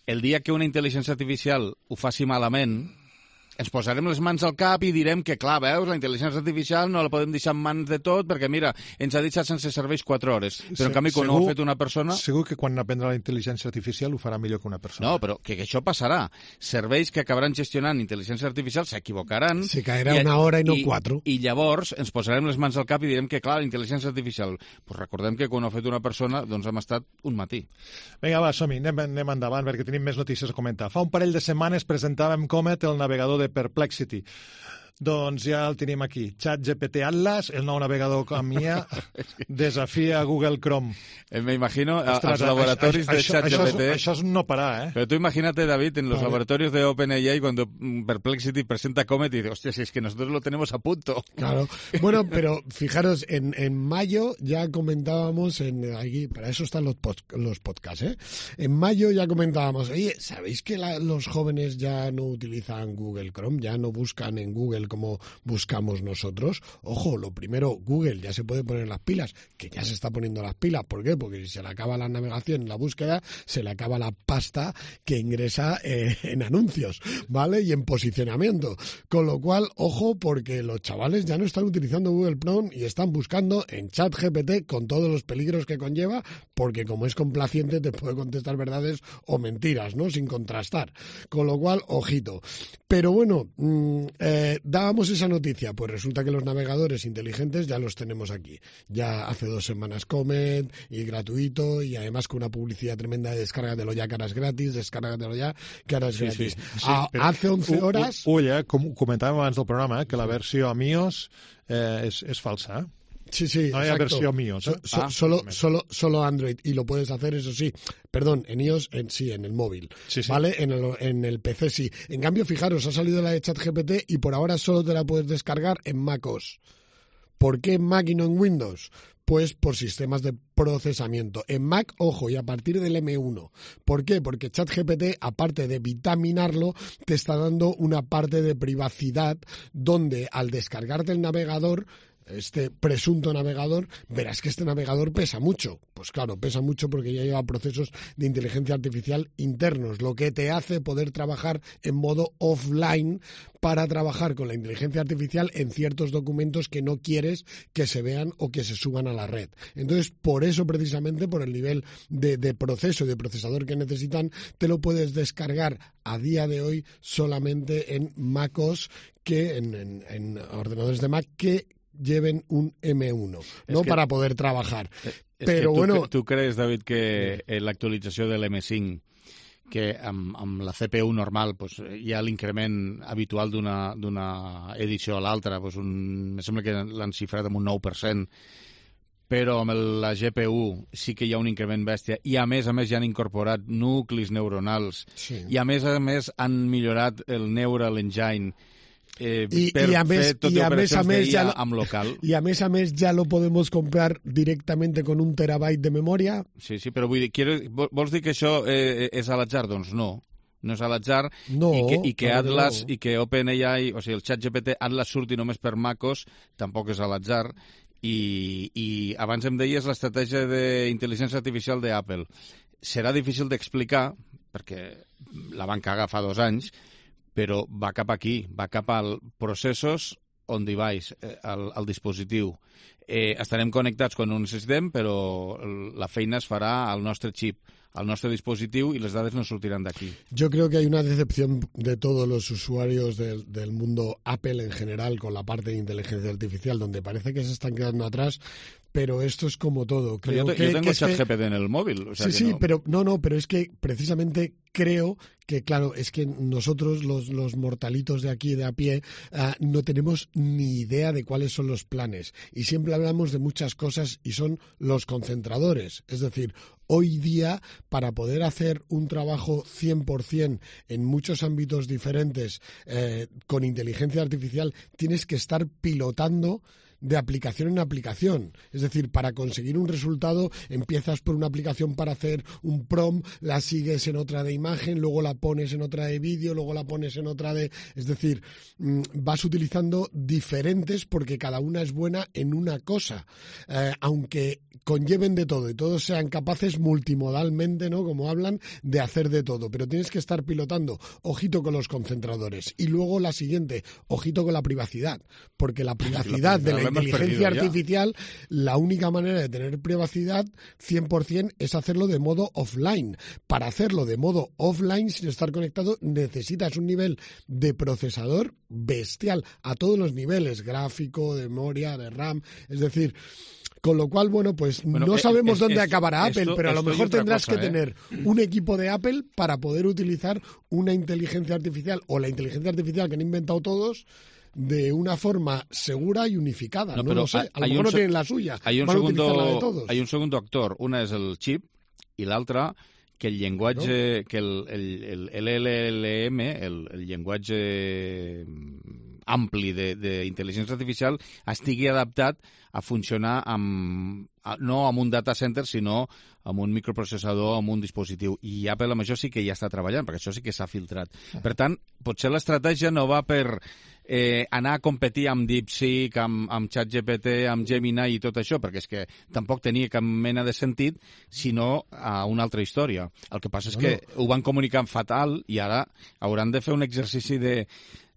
El dia que una intel·ligència artificial ho faci malament, ens posarem les mans al cap i direm que, clar, veus, la intel·ligència artificial no la podem deixar en mans de tot perquè, mira, ens ha deixat sense serveis quatre hores. Però, en canvi, quan segur, ho ha fet una persona... Segur que quan aprendrà la intel·ligència artificial ho farà millor que una persona. No, però que, que això passarà. Serveis que acabaran gestionant intel·ligència artificial s'equivocaran... Se caerà i, una hora i no i, quatre. I llavors ens posarem les mans al cap i direm que, clar, la intel·ligència artificial... Pues recordem que quan ho ha fet una persona, doncs hem estat un matí. Vinga, va, som-hi, anem, anem endavant, perquè tenim més notícies a comentar. Fa un parell de setmanes presentàvem Comet, el navegador de Perplexity. Doncs ja el tenim aquí. ChatGPT Atlas, el nou navegador com I A, desafia Google Chrome. Eh, me imagino als Ostres, laboratoris això, de això, ChatGPT. Això, és, això és un no parar, eh? Pero tú imagínate, David, en los vale. laboratorios de OpenAI cuando Perplexity presenta Comet y dice, hostia, si es que nosotros lo tenemos a punto. Claro. Bueno, pero fijaros, en, en mayo ya comentábamos, en aquí, para eso están los, pod, los podcasts, ¿eh? En mayo ya comentábamos, oye, ¿sabéis que la, los jóvenes ya no utilizan Google Chrome? Ya no buscan en Google como buscamos nosotros. Ojo, lo primero, Google ya se puede poner las pilas, que ya se está poniendo las pilas. ¿Por qué? Porque si se le acaba la navegación y la búsqueda, se le acaba la pasta que ingresa eh, en anuncios, ¿vale? Y en posicionamiento. Con lo cual, ojo, porque los chavales ya no están utilizando Google Chrome y están buscando en ChatGPT con todos los peligros que conlleva, porque como es complaciente te puede contestar verdades o mentiras, ¿no? Sin contrastar. Con lo cual, ojito. Pero bueno, mmm, eh, dábamos esa noticia, pues resulta que los navegadores inteligentes ya los tenemos aquí. Ya hace dos semanas Comet y gratuito y además con una publicidad tremenda de descárgatelo ya, que ahora es gratis, descárgatelo ya, que ahora es sí, gratis. Sí, sí, a, hace once horas... Ull, eh, com comentàvem abans del programa, eh, que la versió amb iOS eh, és, és falsa, eh? Sí, sí, no hay exacto. versión iOS. ¿eh? So, so, ah, solo, solo, solo Android y lo puedes hacer, eso sí. Perdón, en iOS, en, sí, en el móvil. Sí, sí. ¿Vale? En el, en el P C sí. En cambio, fijaros, ha salido la de ChatGPT y por ahora solo te la puedes descargar en macOS. ¿Por qué en Mac y no en Windows? Pues por sistemas de procesamiento. En Mac, ojo, y a partir del M uno. ¿Por qué? Porque ChatGPT, aparte de vitaminarlo, te está dando una parte de privacidad donde al descargarte el navegador, este presunto navegador, verás que este navegador pesa mucho. Pues claro, pesa mucho porque ya lleva procesos de inteligencia artificial internos, lo que te hace poder trabajar en modo offline para trabajar con la inteligencia artificial en ciertos documentos que no quieres que se vean o que se suban a la red. Entonces, por eso precisamente, por el nivel de, de proceso y de procesador que necesitan, te lo puedes descargar a día de hoy solamente en macOS, que en, en, en ordenadores de Mac que lleven un M uno, no que, para poder trabajar. Es Però que tu, bueno... tu creus, David, que eh, l'actualització de l'M cinc, que amb, amb la C P U normal pues, hi ha l'increment habitual d'una edició a l'altra, pues un, em sembla que l'han xifrat amb un nou per cent, però amb la G P U sí que hi ha un increment bèstia i a més a més ja han incorporat nuclis neuronals sí. i a més a més han millorat el Neural Engine Eh, y, per y a mes, fer tot y a mes a mes ya lo, amb local. Y a mes a mes ya lo podemos comprar directamente con un terabyte de memoria. Sí, sí, però vull dir, quiero, vols dir que això eh, és a l'atzar? Doncs no. No és a l'atzar no, i que, i que Atlas no. i que OpenAI, o sigui, el ChatGPT Atlas surti només per MacOS, tampoc és a l'atzar. I, i abans em deies l'estratègia d'intel·ligència artificial d'Apple. Serà difícil d'explicar, perquè la van cagar fa dos anys, però va cap aquí, va cap al processos on device, al, al dispositiu. Eh, estarem connectats quan ho necessitem, però la feina es farà al nostre xip, al nostre dispositiu i les dades no sortiran d'aquí. Yo creo que hay una decepción de todos los usuarios del, del mundo Apple en general con la parte de inteligencia artificial, donde parece que se están quedando atrás, pero esto es como todo. Creo yo, te, que, yo tengo que ChatGPT que... en el móvil. O sea sí, que sí, no... pero no, no, pero es que precisamente creo que, claro, es que nosotros, los, los mortalitos de aquí, de a pie, uh, no tenemos ni idea de cuáles son los planes. Y siempre hablamos de muchas cosas y son los concentradores. Es decir, hoy día, para poder hacer un trabajo cien por cien en muchos ámbitos diferentes eh, con inteligencia artificial, tienes que estar pilotando de aplicación en aplicación. Es decir, para conseguir un resultado empiezas por una aplicación para hacer un prompt, la sigues en otra de imagen, luego la pones en otra de vídeo, luego la pones en otra de... Es decir, vas utilizando diferentes porque cada una es buena en una cosa. Eh, aunque conlleven de todo y todos sean capaces multimodalmente, ¿no? Como hablan, de hacer de todo. Pero tienes que estar pilotando. Ojito con los concentradores. Y luego la siguiente, ojito con la privacidad. Porque la privacidad de la inteligencia artificial, la única manera de tener privacidad cien por ciento es hacerlo de modo offline. Para hacerlo de modo offline, sin estar conectado, necesitas un nivel de procesador bestial a todos los niveles, gráfico, de memoria, de RAM. Es decir... Con lo cual, bueno, pues bueno, no sabemos es, dónde es, acabará Apple, esto, pero a lo mejor tendrás cosa, que ¿eh? tener un equipo de Apple para poder utilizar una inteligencia artificial o la inteligencia artificial que han inventado todos de una forma segura y unificada. No, no lo sé, a lo mejor no tienen la suya, hay un van segundo, a utilizar la de todos. Hay un segundo actor, una és el xip i l'altra que el llenguatge, no? que el, el, el, el L L M, el, el llenguatge ampli d'intel·ligència artificial estigui adaptat a funcionar amb, no amb un data center, sinó amb un microprocessador, amb un dispositiu. I Apple amb això sí que ja està treballant, perquè això sí que s'ha filtrat. Per tant, potser l'estratègia no va per eh, anar a competir amb DeepSeek, amb, amb ChatGPT, amb Gemini i tot això, perquè és que tampoc tenia cap mena de sentit, sinó a una altra història. El que passa és que ho van comunicar fatal i ara hauran de fer un exercici de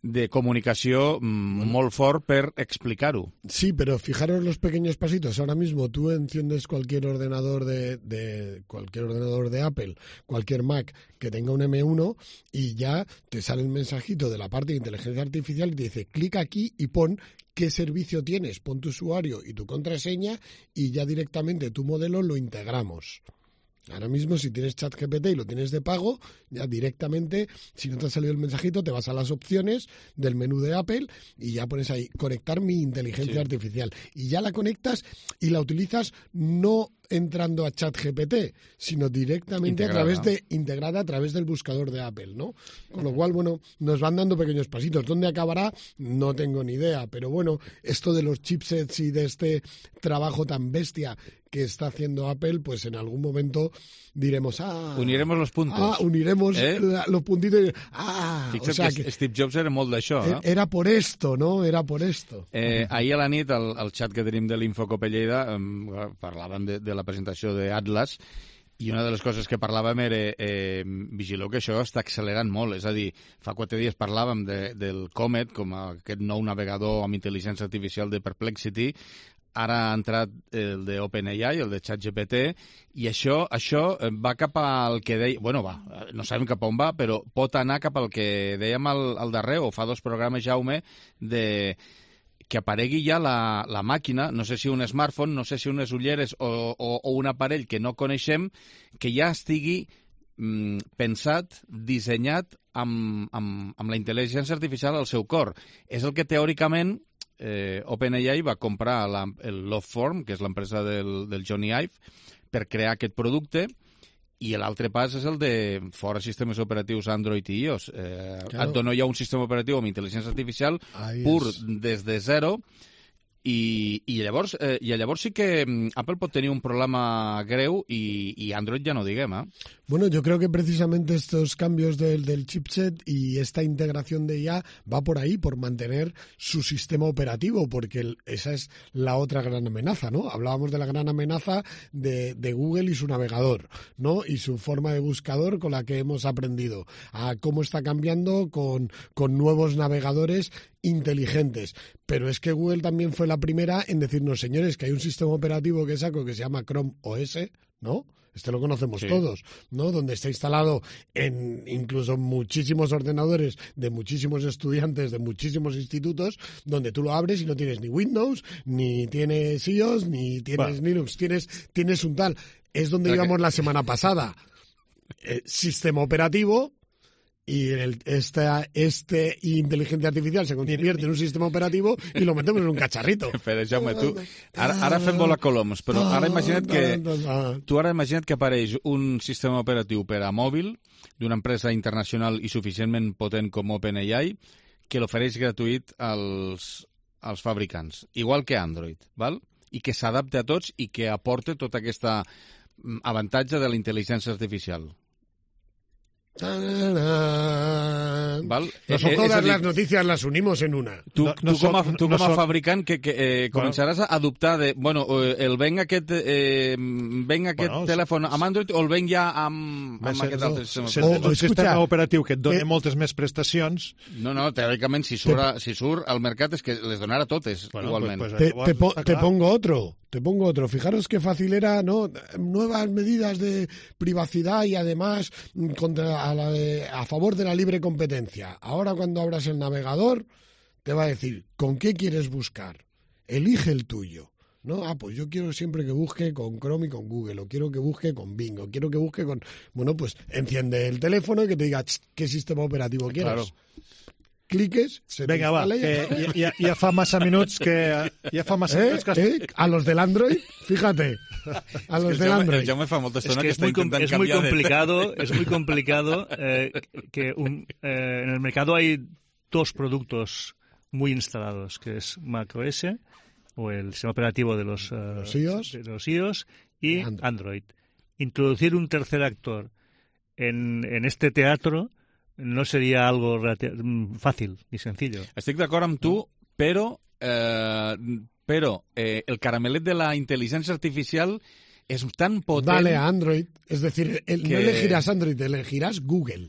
de comunicación mmm, muy fort per explicar-ho. Sí, pero fijaros los pequeños pasitos. Ahora mismo tú enciendes cualquier ordenador de, de cualquier ordenador de Apple, cualquier Mac que tenga un M uno y ya te sale un mensajito de la parte de inteligencia artificial y te dice, clica aquí y pon qué servicio tienes, pon tu usuario y tu contraseña y ya directamente tu modelo lo integramos. Ahora mismo, si tienes ChatGPT y lo tienes de pago, ya directamente, si no te ha salido el mensajito, te vas a las opciones del menú de Apple y ya pones ahí, conectar mi inteligencia sí. artificial. Y ya la conectas y la utilizas no entrando a ChatGPT, sino directamente integrada. a través de integrada a través del buscador de Apple, ¿no? Con lo cual, bueno, nos van dando pequeños pasitos. ¿Dónde acabará? No tengo ni idea, pero bueno, esto de los chipsets y de este trabajo tan bestia que está haciendo Apple, pues en algún momento diremos, ah... Uniremos los puntos. Ah, uniremos eh? la, los puntitos y... Ah, Fixa't o sea que, que Steve Jobs era molt d'això, eh? Era por esto, ¿no? Era por esto. Eh, ahir a la nit, al, al xat que tenim de l'Infocope Lleida, eh, parlàvem de, de la presentació d'Atlas, i una de les coses que parlàvem era eh, vigileu que això està accelerant molt, és a dir, fa quatre dies parlàvem de, del Comet com a aquest nou navegador amb intel·ligència artificial de Perplexity, ara ha entrat el de OpenAI, el de ChatGPT, i això, això va cap al que deia... Bueno, va, no sabem cap on va, però pot anar cap al que dèiem al, al darrer, o fa dos programes, Jaume, de que aparegui ja la, la màquina, no sé si un smartphone, no sé si unes ulleres o, o, o un aparell que no coneixem, que ja estigui mm, pensat, dissenyat amb, amb, amb la intel·ligència artificial al seu cor. És el que teòricament Eh, OpenAI va comprar la, el Loveform, que és l'empresa del, del Johnny Ive, per crear aquest producte, i l'altre pas és el de fora sistemes operatius Android i iOS. Eh, claro. Et dono ja un sistema operatiu amb intel·ligència artificial Ahí pur es. des de zero, i, i, llavors, eh, i llavors sí que Apple pot tenir un problema greu i, i Android ja no diguem, eh? Bueno, yo creo que precisamente estos cambios del, del chipset y esta integración de I A va por ahí, por mantener su sistema operativo, porque el, esa es la otra gran amenaza, ¿no? Hablábamos de la gran amenaza de, de Google y su navegador, ¿no? Y su forma de buscador con la que hemos aprendido, a cómo está cambiando con, con nuevos navegadores inteligentes. Pero es que Google también fue la primera en decirnos, señores, que hay un sistema operativo que saco que se llama Chrome O S, ¿no? Este lo conocemos sí. todos, ¿no? Donde está instalado en incluso muchísimos ordenadores de muchísimos estudiantes de muchísimos institutos, donde tú lo abres y no tienes ni Windows, ni tienes iOS, ni tienes bueno. Linux, tienes, tienes un tal. Es donde íbamos que... la semana pasada. Eh, sistema operativo... y el, esta este inteligencia artificial se convierte en un sistema operativo i lo metemos en un cacharrito. Però, Jaume, tu... Ara, ara fem volar coloms, però ara imagina't que... Tu ara imagina't que apareix un sistema operatiu per a mòbil d'una empresa internacional i suficientment potent com OpenAI que l'ofereix gratuït als, als fabricants, igual que Android, val? I que s'adapte a tots i que aporte tot aquest avantatge de la intel·ligència artificial. Val? No son eh, todas las noticias las unimos en una. Tu, no, tu, no com, a, son, tu no com a son... fabricant que, que eh, començaràs a adoptar de, bueno, el venc aquest, eh, venc aquest bueno, telèfon amb Android o el venc ja amb, amb aquest altre sistema. Si tens un sistema operatiu que et dona eh, moltes més prestacions... No, no, teòricament si surt, te... si surt al mercat és que les donarà totes, bueno, igualment. Pues, pues, te, te, po te pongo otro. Te pongo otro. Fijaros qué fácil era, ¿no? Nuevas medidas de privacidad y además contra a, la de, a favor de la libre competencia. Ahora cuando abras el navegador te va a decir ¿con qué quieres buscar? Elige el tuyo. ¿No? Ah, pues yo quiero siempre que busque con Chrome y con Google, o quiero que busque con Bing, o quiero que busque con... Bueno, pues enciende el teléfono y que te diga qué sistema operativo quieres. Claro. Cliques, se Venga, va, que ja, ja fa massa minuts que... Ja fa massa eh, minuts que... Eh, a los del Android, fíjate, a los del Android. Ya me fa molta estona que, que está intentando es muy complicado, es muy complicado eh, que un, eh, en el mercado hay dos productos muy instalados, que es macOS o el sistema operativo de los, uh, los, iOS. de los iOS y Android. Android. Introducir un tercer actor en, en este teatro no sería algo fàcil ni sencillo. Estic d'acord amb tu, però, eh, però eh, el caramelet de la intel·ligència artificial es tan potent... Dale a Android, es decir, el, que... no elegirás Android, elegirás Google.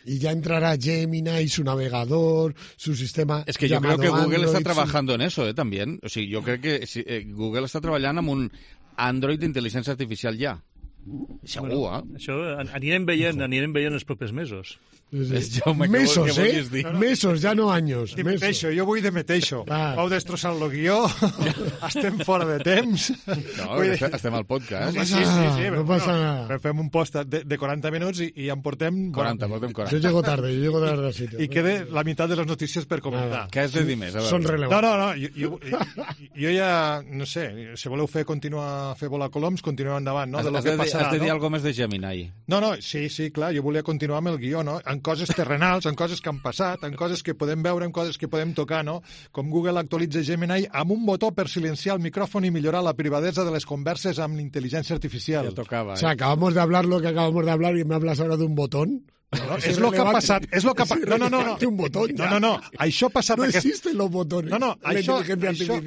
Y ya entrará Gemini, su navegador, su sistema. Es que yo creo que Google Android, está trabajando su... en eso, ¿eh? También. O sea, yo creo que si, eh, Google está trabajando en un Android d'intel·ligència artificial ja. Segur, bueno, eh? Això anirem veient, anirem veient els propers mesos. Sí. Mesos, eh? No, no. Mesos, ja no anys. Dimeteixo, jo vull dimeteixo. Ah. Vau destrossar el guió, estem fora de temps. No, vull... estem al podcast. No passa, sí, sí, sí, no però, passa bueno, nada. Fem un post de, de quaranta minuts i, i en portem... quaranta, portem quaranta. Yo llego tarde, yo llego tarde al sitio. I queda la meitat de les notícies per comentar. Què has de dir més? Són rellevants. No, no, no, jo, jo, jo ja, no sé, si voleu fer continuar a fer volar coloms, continueu endavant, no? Has, de lo has, que de, passarà, has de dir no? alguna més de Gemini. No, no, sí, sí, clar, jo volia continuar amb el guió, no? En coses terrenals, en coses que han passat, en coses que podem veure, en coses que podem tocar, no? Com Google actualitza Gemini amb un botó per silenciar el micrófono y millorar la privadesa de les converses amb l'inteligencia artificial. Ya tocaba, ¿eh? O sea, acabamos de hablar lo que acabamos de hablar y me hablas ahora de un botón. No, no, és lo que ha passat, és lo que ha passat. No, no, no, no. Un botón, no, no, no. Això ha passat... No aquest... existen los botones. No, no, això, això,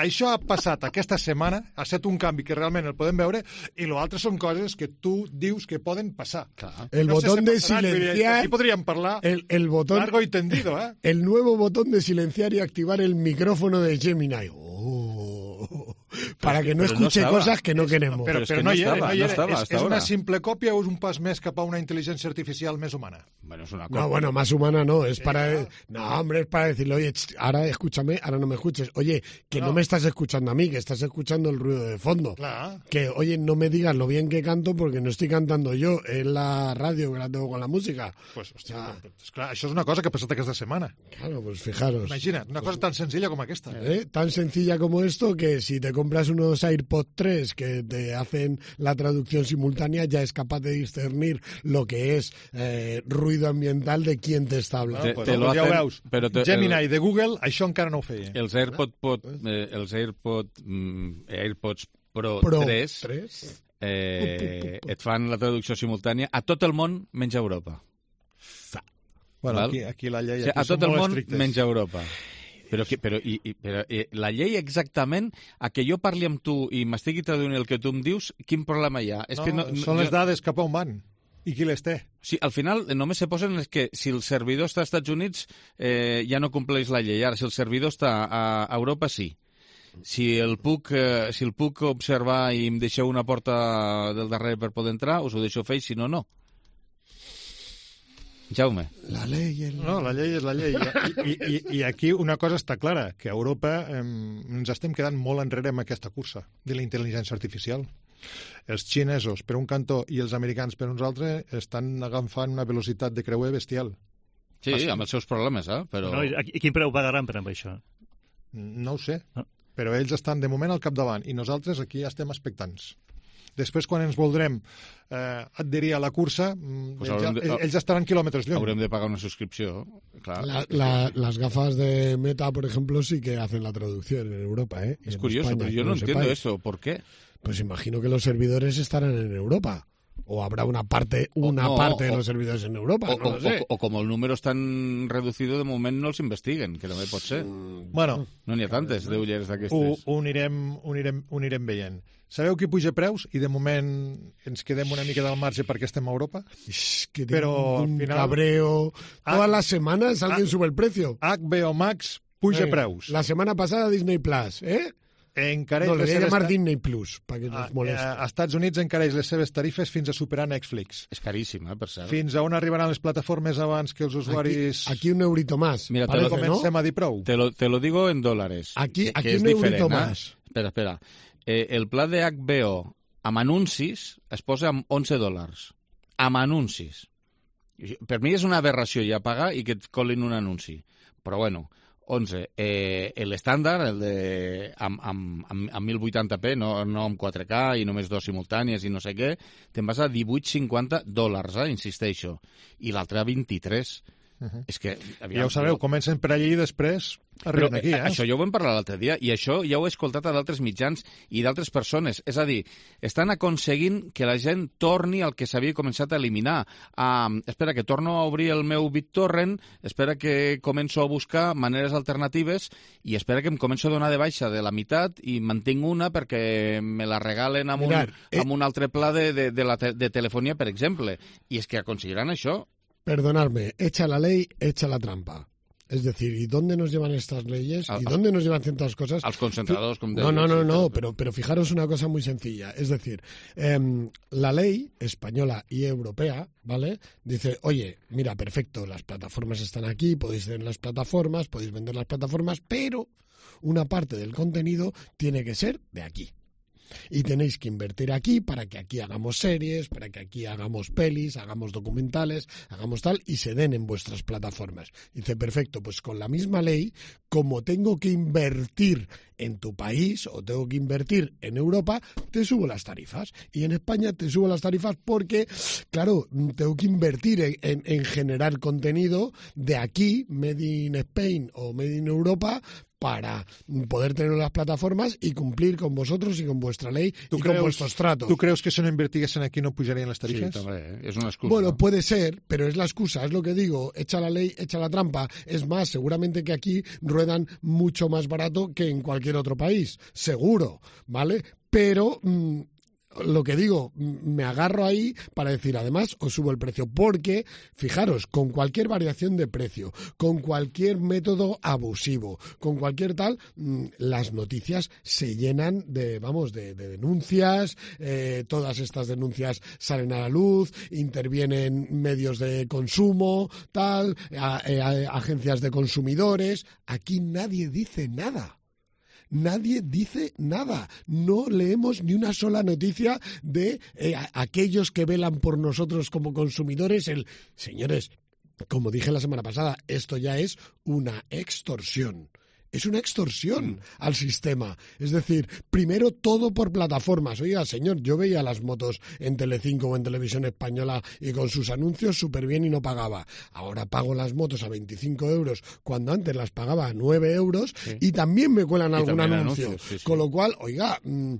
això ha passat aquesta setmana, ha estat un canvi que realment el podem veure, i l'altre són coses que tu dius que poden passar. Clar. El no botón sé si de silenciar... Aquí podríem parlar el, el botón, largo y tendido, ¿eh? El nuevo botón de silenciar y activar el micrófono de Gemini. Oh. Para que no pero escuche no cosas que no queremos. Pero, pero, pero es que no, no, hi era, estaba, no, hi era. no estaba és, hasta és ahora. una simple còpia o és un pas més cap a una intel·ligència artificial més humana? Bueno, es una copia. No, bueno, más humana no, es para... No, hombre, es para decirle, oye, ahora escúchame, ahora no me escuches. Oye, que no, no me estás escuchando a mí, que estás escuchando el ruido de fondo. Claro. Que, oye, no me digas lo bien que canto porque no estoy cantando yo, es la radio que la tengo con la música. Pues, hòstia, ah. pues, clar, això és una cosa que ha passat aquesta setmana. Claro, pues fijaros. Imagina't, una cosa tan sencilla com aquesta. ¿Eh? Tan sencilla como esto que si te compras unos AirPods tres que te hacen la traducción simultánea, ya es capaz de discernir lo que es eh, ruido ambiental de quién te està hablando. Te, pues, te lo hacen, ja ho veus. Però te, Gemini el, de Google, això encara no ho feia. Els AirPods, pot, eh, els AirPods, mm, AirPods Pro, Pro tres, tres? Eh, et fan la traducció simultània a tot el món menys a Europa. Bueno, aquí, aquí la llei... O sigui, aquí a tot el món estrictes. menys a Europa. Però, que, però, i, i, però eh, la llei exactament, a que jo parli amb tu i m'estigui traduint el que tu em dius, quin problema hi ha? És no, que no, són jo... les dades cap a on van i qui les té. Sí, al final només se posen és que si el servidor està als Estats Units eh, ja no compleix la llei. Ara, si el servidor està a, a Europa, sí. Si el, puc, eh, si el puc observar i em deixeu una porta del darrere per poder entrar, us ho deixo fer, si no, no. Jaume. La llei... El... No, la llei és la llei. I, i, i aquí una cosa està clara, que a Europa eh, ens estem quedant molt enrere amb aquesta cursa de la intel·ligència artificial. Els xinesos, per un cantó, i els americans, per uns altres, estan agafant una velocitat de creuer bestial. Sí, Pas... amb els seus problemes, eh? Però... No, i, I quin preu pagaran per amb això? No ho sé, no. Però ells estan de moment al capdavant i nosaltres aquí estem expectants. després quan ens voldrem eh, adherir a la cursa, Pues ells, haurem de- ells, ells estaran quilòmetres lluny. Haurem de pagar una suscripció, clar. La- la- las gafas de Meta, por ejemplo, sí que hacen la traducción en Europa, ¿eh? Es En curioso, España, pero yo que no lo entiendo sepáis. eso. ¿Por qué? Pues imagino que los servidores estarán en Europa. O habrá una parte, una no, parte de o- los servidores en Europa, O, no o, lo sé. o, o como el número és tan reducido, de moment no els investiguen, que també pot ser. Bueno, No n'hi ha tantes d'ulleres ho, d'aquestes. ho, anirem, ho, anirem, ho anirem veient. Sabeu qui puja preus i de moment ens quedem una mica del marge perquè estem a Europa? Es que Pero tengo al un final- cabreo. Ah, Todas las semanas alguien ah, sube el precio. H B O Max puja Venga, preus. La semana pasada Disney Plus, ¿eh? Encareix No, le les voy a seves llamar ta- Disney Plus, para que a, nos moleste. a, a Estats Units encareix les seves tarifes fins a superar Netflix. És caríssim, eh, per cert. Fins a on arribaran les plataformes abans que els Aquí, usuaris... aquí un eurito más. Mira, te parece, lo ¿no? comencem a dir prou. Te lo, te lo digo en dólares. Aquí- que, aquí que és un eurito diferent, eh? más. Espera, espera. Eh, el pla de H B O amb anuncis es posa amb onze dòlars. Amb anuncis. Per mi és una aberració ja pagar i que et colin un anunci. Però bueno, onze. Eh, L'estàndard, el de amb, amb, amb, amb mil vuitanta p, no, no amb quatre K i només dos simultànies i no sé què, te'n vas a divuit cinquanta dòlars, eh, insisteixo. I l'altre a vint-i-tres. Uh -huh. És que, Ja ho sabeu, comencen per allí i després arriben Però, aquí, eh? Això ja ho vam parlar l'altre dia, i això ja ho he escoltat a d'altres mitjans i d'altres persones. És a dir, estan aconseguint que la gent torni al que s'havia començat a eliminar. Um, espera, que torno a obrir el meu BitTorrent, espera que començo a buscar maneres alternatives i espera que em començo a donar de baixa de la meitat i mantinc una perquè me la regalen amb, Mirar, un, eh... amb un altre pla de, de, de, la te de telefonia, per exemple. I és que aconseguiran això. Perdonadme, echa la ley, echa la trampa. Es decir, ¿y dónde nos llevan estas leyes? Al- ¿Y dónde nos llevan ciertas cosas? Als concentradors, com No, deies. no, no, i no, tal. pero, pero fijaros una cosa muy sencilla. Es decir, em, la ley española y europea, ¿vale? Dice, oye, mira, perfecto, las plataformas están aquí, podéis tener las plataformas, podéis vender las plataformas, pero una parte del contenido tiene que ser de aquí. Y tenéis que invertir aquí para que aquí hagamos series, para que aquí hagamos pelis, hagamos documentales, hagamos tal, y se den en vuestras plataformas. Dice, perfecto, pues con la misma ley, como tengo que invertir en tu país o tengo que invertir en Europa, te subo las tarifas. Y en España te subo las tarifas porque, claro, tengo que invertir en, en, en generar contenido de aquí, Made in Spain o Made in Europa, para poder tener las plataformas y cumplir con vosotros y con vuestra ley y con vuestros tratos. Tu creus que si no invertiguessin aquí no pujarien les Sí, tarifes? també, eh? És una excusa. Bueno, puede ser, pero es la excusa, es lo que digo, echa la ley, echa la trampa. Es más, seguramente que aquí ruedan mucho más barato que en cualquier otro país, seguro, ¿vale? Pero... Mmm, lo que digo, me agarro ahí para decir, además, os subo el precio, porque, fijaros, con cualquier variación de precio, con cualquier método abusivo, con cualquier tal, las noticias se llenan de, vamos, de, de denuncias, eh, todas estas denuncias salen a la luz, intervienen medios de consumo, tal, a, a, a, agencias de consumidores, aquí nadie dice nada. Nadie dice nada. No leemos ni una sola noticia de eh, a, aquellos que velan por nosotros como consumidores. El, señores, como dije la semana pasada, esto ya es una extorsión. Es una extorsión mm. al sistema. Es decir, primero todo por plataformas. Oiga, señor, yo veía las motos en Telecinco o en Televisión Española y con sus anuncios súper bien y no pagaba. Ahora pago las motos a veinticinco euros cuando antes las pagaba a nueve euros sí. y también me cuelan y algún anuncio. Anuncios, sí, sí. Con lo cual, oiga, mmm,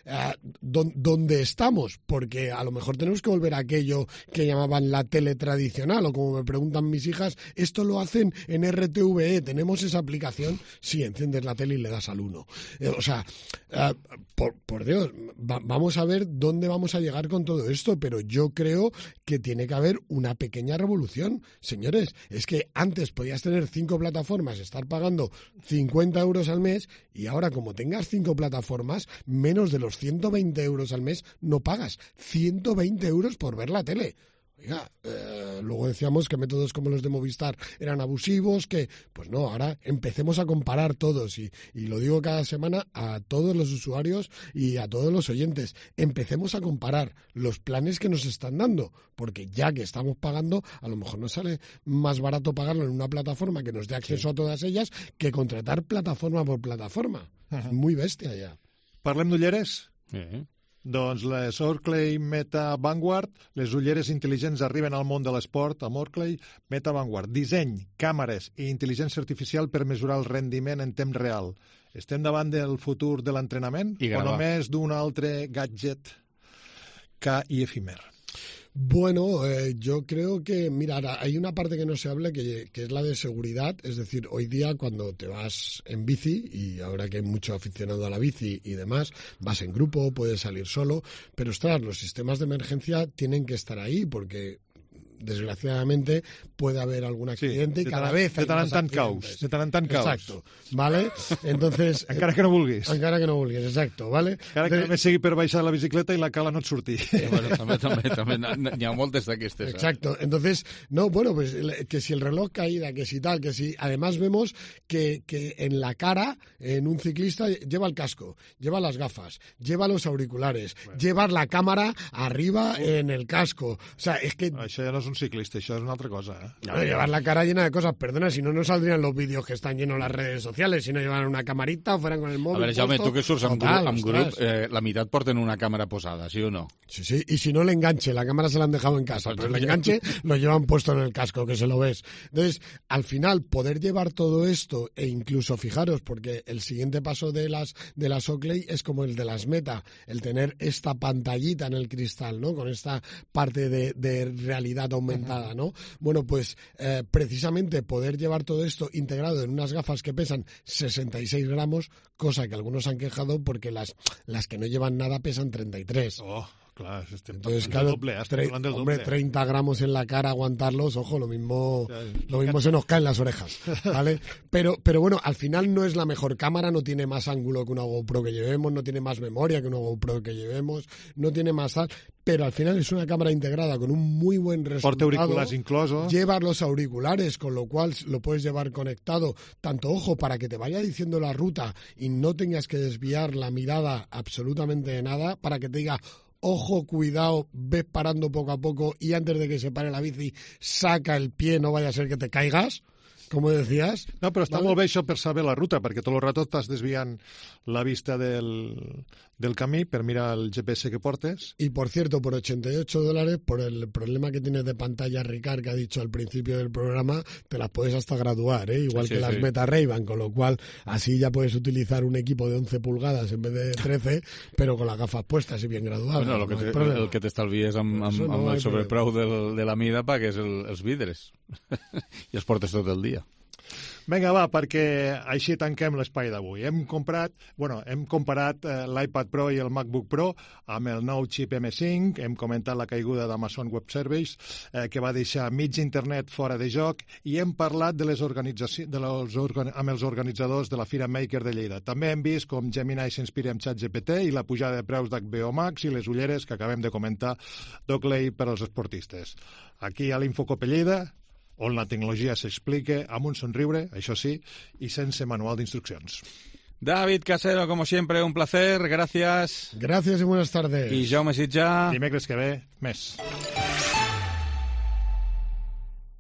eh, ¿dónde estamos? Porque a lo mejor tenemos que volver a aquello que llamaban la tele tradicional, o como me preguntan mis hijas, esto lo hacen en R T V E, tenemos esa aplicación. Sí, enciendes la tele y le das al uno. Eh, o sea, eh, por, por Dios, va, vamos a ver dónde vamos a llegar con todo esto, pero yo creo que tiene que haber una pequeña revolución. Señores, es que antes podías tener cinco plataformas, estar pagando cincuenta euros al mes, y ahora como tengas cinco plataformas, menos de los ciento veinte euros al mes no pagas. ciento veinte euros por ver la tele. Oiga, eh, luego decíamos que métodos como los de Movistar eran abusivos, que pues no, ahora empecemos a comparar todos y, y lo digo cada semana a todos los usuarios y a todos los oyentes, empecemos a comparar los planes que nos están dando, porque ya que estamos pagando, a lo mejor nos sale más barato pagarlo en una plataforma que nos dé acceso sí. a todas ellas que contratar plataforma por plataforma. Uh-huh. Es muy bestia ya. Parlem d'ulleres? Sí. Doncs les Oakley Meta Vanguard, les ulleres intel·ligents arriben al món de l'esport amb Oakley Meta Vanguard. Disseny, càmeres i intel·ligència artificial per mesurar el rendiment en temps real. Estem davant del futur de l'entrenament o només d'un altre gadget ca i efímer? Bueno, eh, yo creo que, mira, hay una parte que no se habla que, que es la de seguridad, es decir, hoy día cuando te vas en bici, y ahora que hay mucho aficionado a la bici y demás, vas en grupo, puedes salir solo, pero ostras, los sistemas de emergencia tienen que estar ahí porque desgraciadamente puede haber algún accidente sí, y cada tan, vez hay de tant en más tant accidentes. caus, de tant en tant caus. Exacto, ¿vale? Entonces... encara que no vulguis. Encara que no vulguis, exacto, ¿vale? Encara que de... només sigui per baixar la bicicleta i la cala no et surti. Eh, bueno, també, també, també, n'hi ha moltes d'aquestes. Exacto, eh? Entonces, no, bueno, pues que si el reloj caída, que si tal, que si... Además vemos que, que en la cara, en un ciclista, lleva el casco, lleva las gafas, lleva los auriculares, bueno. lleva la cámara arriba uh. en el casco. O sea, es que... Això ja no és un ciclista, això és una altra cosa, ¿eh? No, llevar la cara llena de cosas, perdona, si no, no saldrían los vídeos que están llenos las redes sociales, si no llevan una camarita o fueran con el móvil. A veure, Jaume, tu que surts amb total, grup, amb grup eh, la meitat porten una cámara posada, ¿sí o no? Sí, sí, y si no el enganche, la cámara se la han dejado en casa, pero el enganche lo llevan puesto en el casco, que se lo ves. Entonces, al final, poder llevar todo esto, e incluso, fijaros, porque el siguiente paso de las, de las Oakley es como el de las Meta, el tener esta pantallita en el cristal, ¿no? Con esta parte de, de realidad aumentada, ¿no? Bueno, pues eh, precisamente poder llevar todo esto integrado en unas gafas que pesan sesenta y seis gramos, cosa que algunos han quejado porque las, las que no llevan nada pesan treinta y tres. Oh. Claro, este entonces, claro, doble, tre del hombre, doble. treinta gramos en la cara, aguantarlos, ojo, lo mismo, lo mismo se nos caen las orejas, ¿vale? Pero, pero bueno, al final no es la mejor cámara, no tiene más ángulo que una GoPro que llevemos, no tiene más memoria que una GoPro que llevemos, no tiene más tal, pero al final es una cámara integrada con un muy buen resultado. Porta auriculares incluso. Llevas los auriculares, con lo cual lo puedes llevar conectado, tanto, ojo, para que te vaya diciendo la ruta y no tengas que desviar la mirada absolutamente de nada, para que te diga... Ojo, cuidado, ves parando poco a poco y antes de que se pare la bici, saca el pie, no vaya a ser que te caigas, como decías. No, però està ¿vale? molt bé això per saber la ruta, perquè tot el rato estàs desviant la vista del, del camí per mirar el G P S que portes. Y por cierto, por ochenta y ocho dólares, por el problema que tienes de pantalla Ricard, que ha dicho al principio del programa, te las puedes hasta graduar, ¿eh? Igual sí, que sí, las sí. Meta Ray-Ban, con lo cual así ya puedes utilizar un equipo de once pulgadas en vez de trece, pero con las gafas puestas y bien graduadas. Bueno, lo que no te, el que t'estalvies amb, amb, no amb el sobrepreu del, de la mida pagues el, els vidres i els portes tot el dia. Vinga, va, perquè així tanquem l'espai d'avui. Hem comprat, bueno, hem comparat eh, l'iPad Pro i el MacBook Pro amb el nou xip M cinc, hem comentat la caiguda d'Amazon Web Services, eh, que va deixar mig internet fora de joc, i hem parlat de les organitzacions, de les organ amb els organitzadors de la Fira Maker de Lleida. També hem vist com Gemini s'inspira en ChatGPT i la pujada de preus d'H B O Max i les ulleres que acabem de comentar d'Oakley per als esportistes. Aquí a l'Infocop Lleida, on la tecnologia s'explica amb un somriure, això sí, y sense manual d'instruccions. David Casero, como siempre, un placer, gracias. Gracias y buenas tardes. Y Jaume Sitjà. Dimecres que ve, més.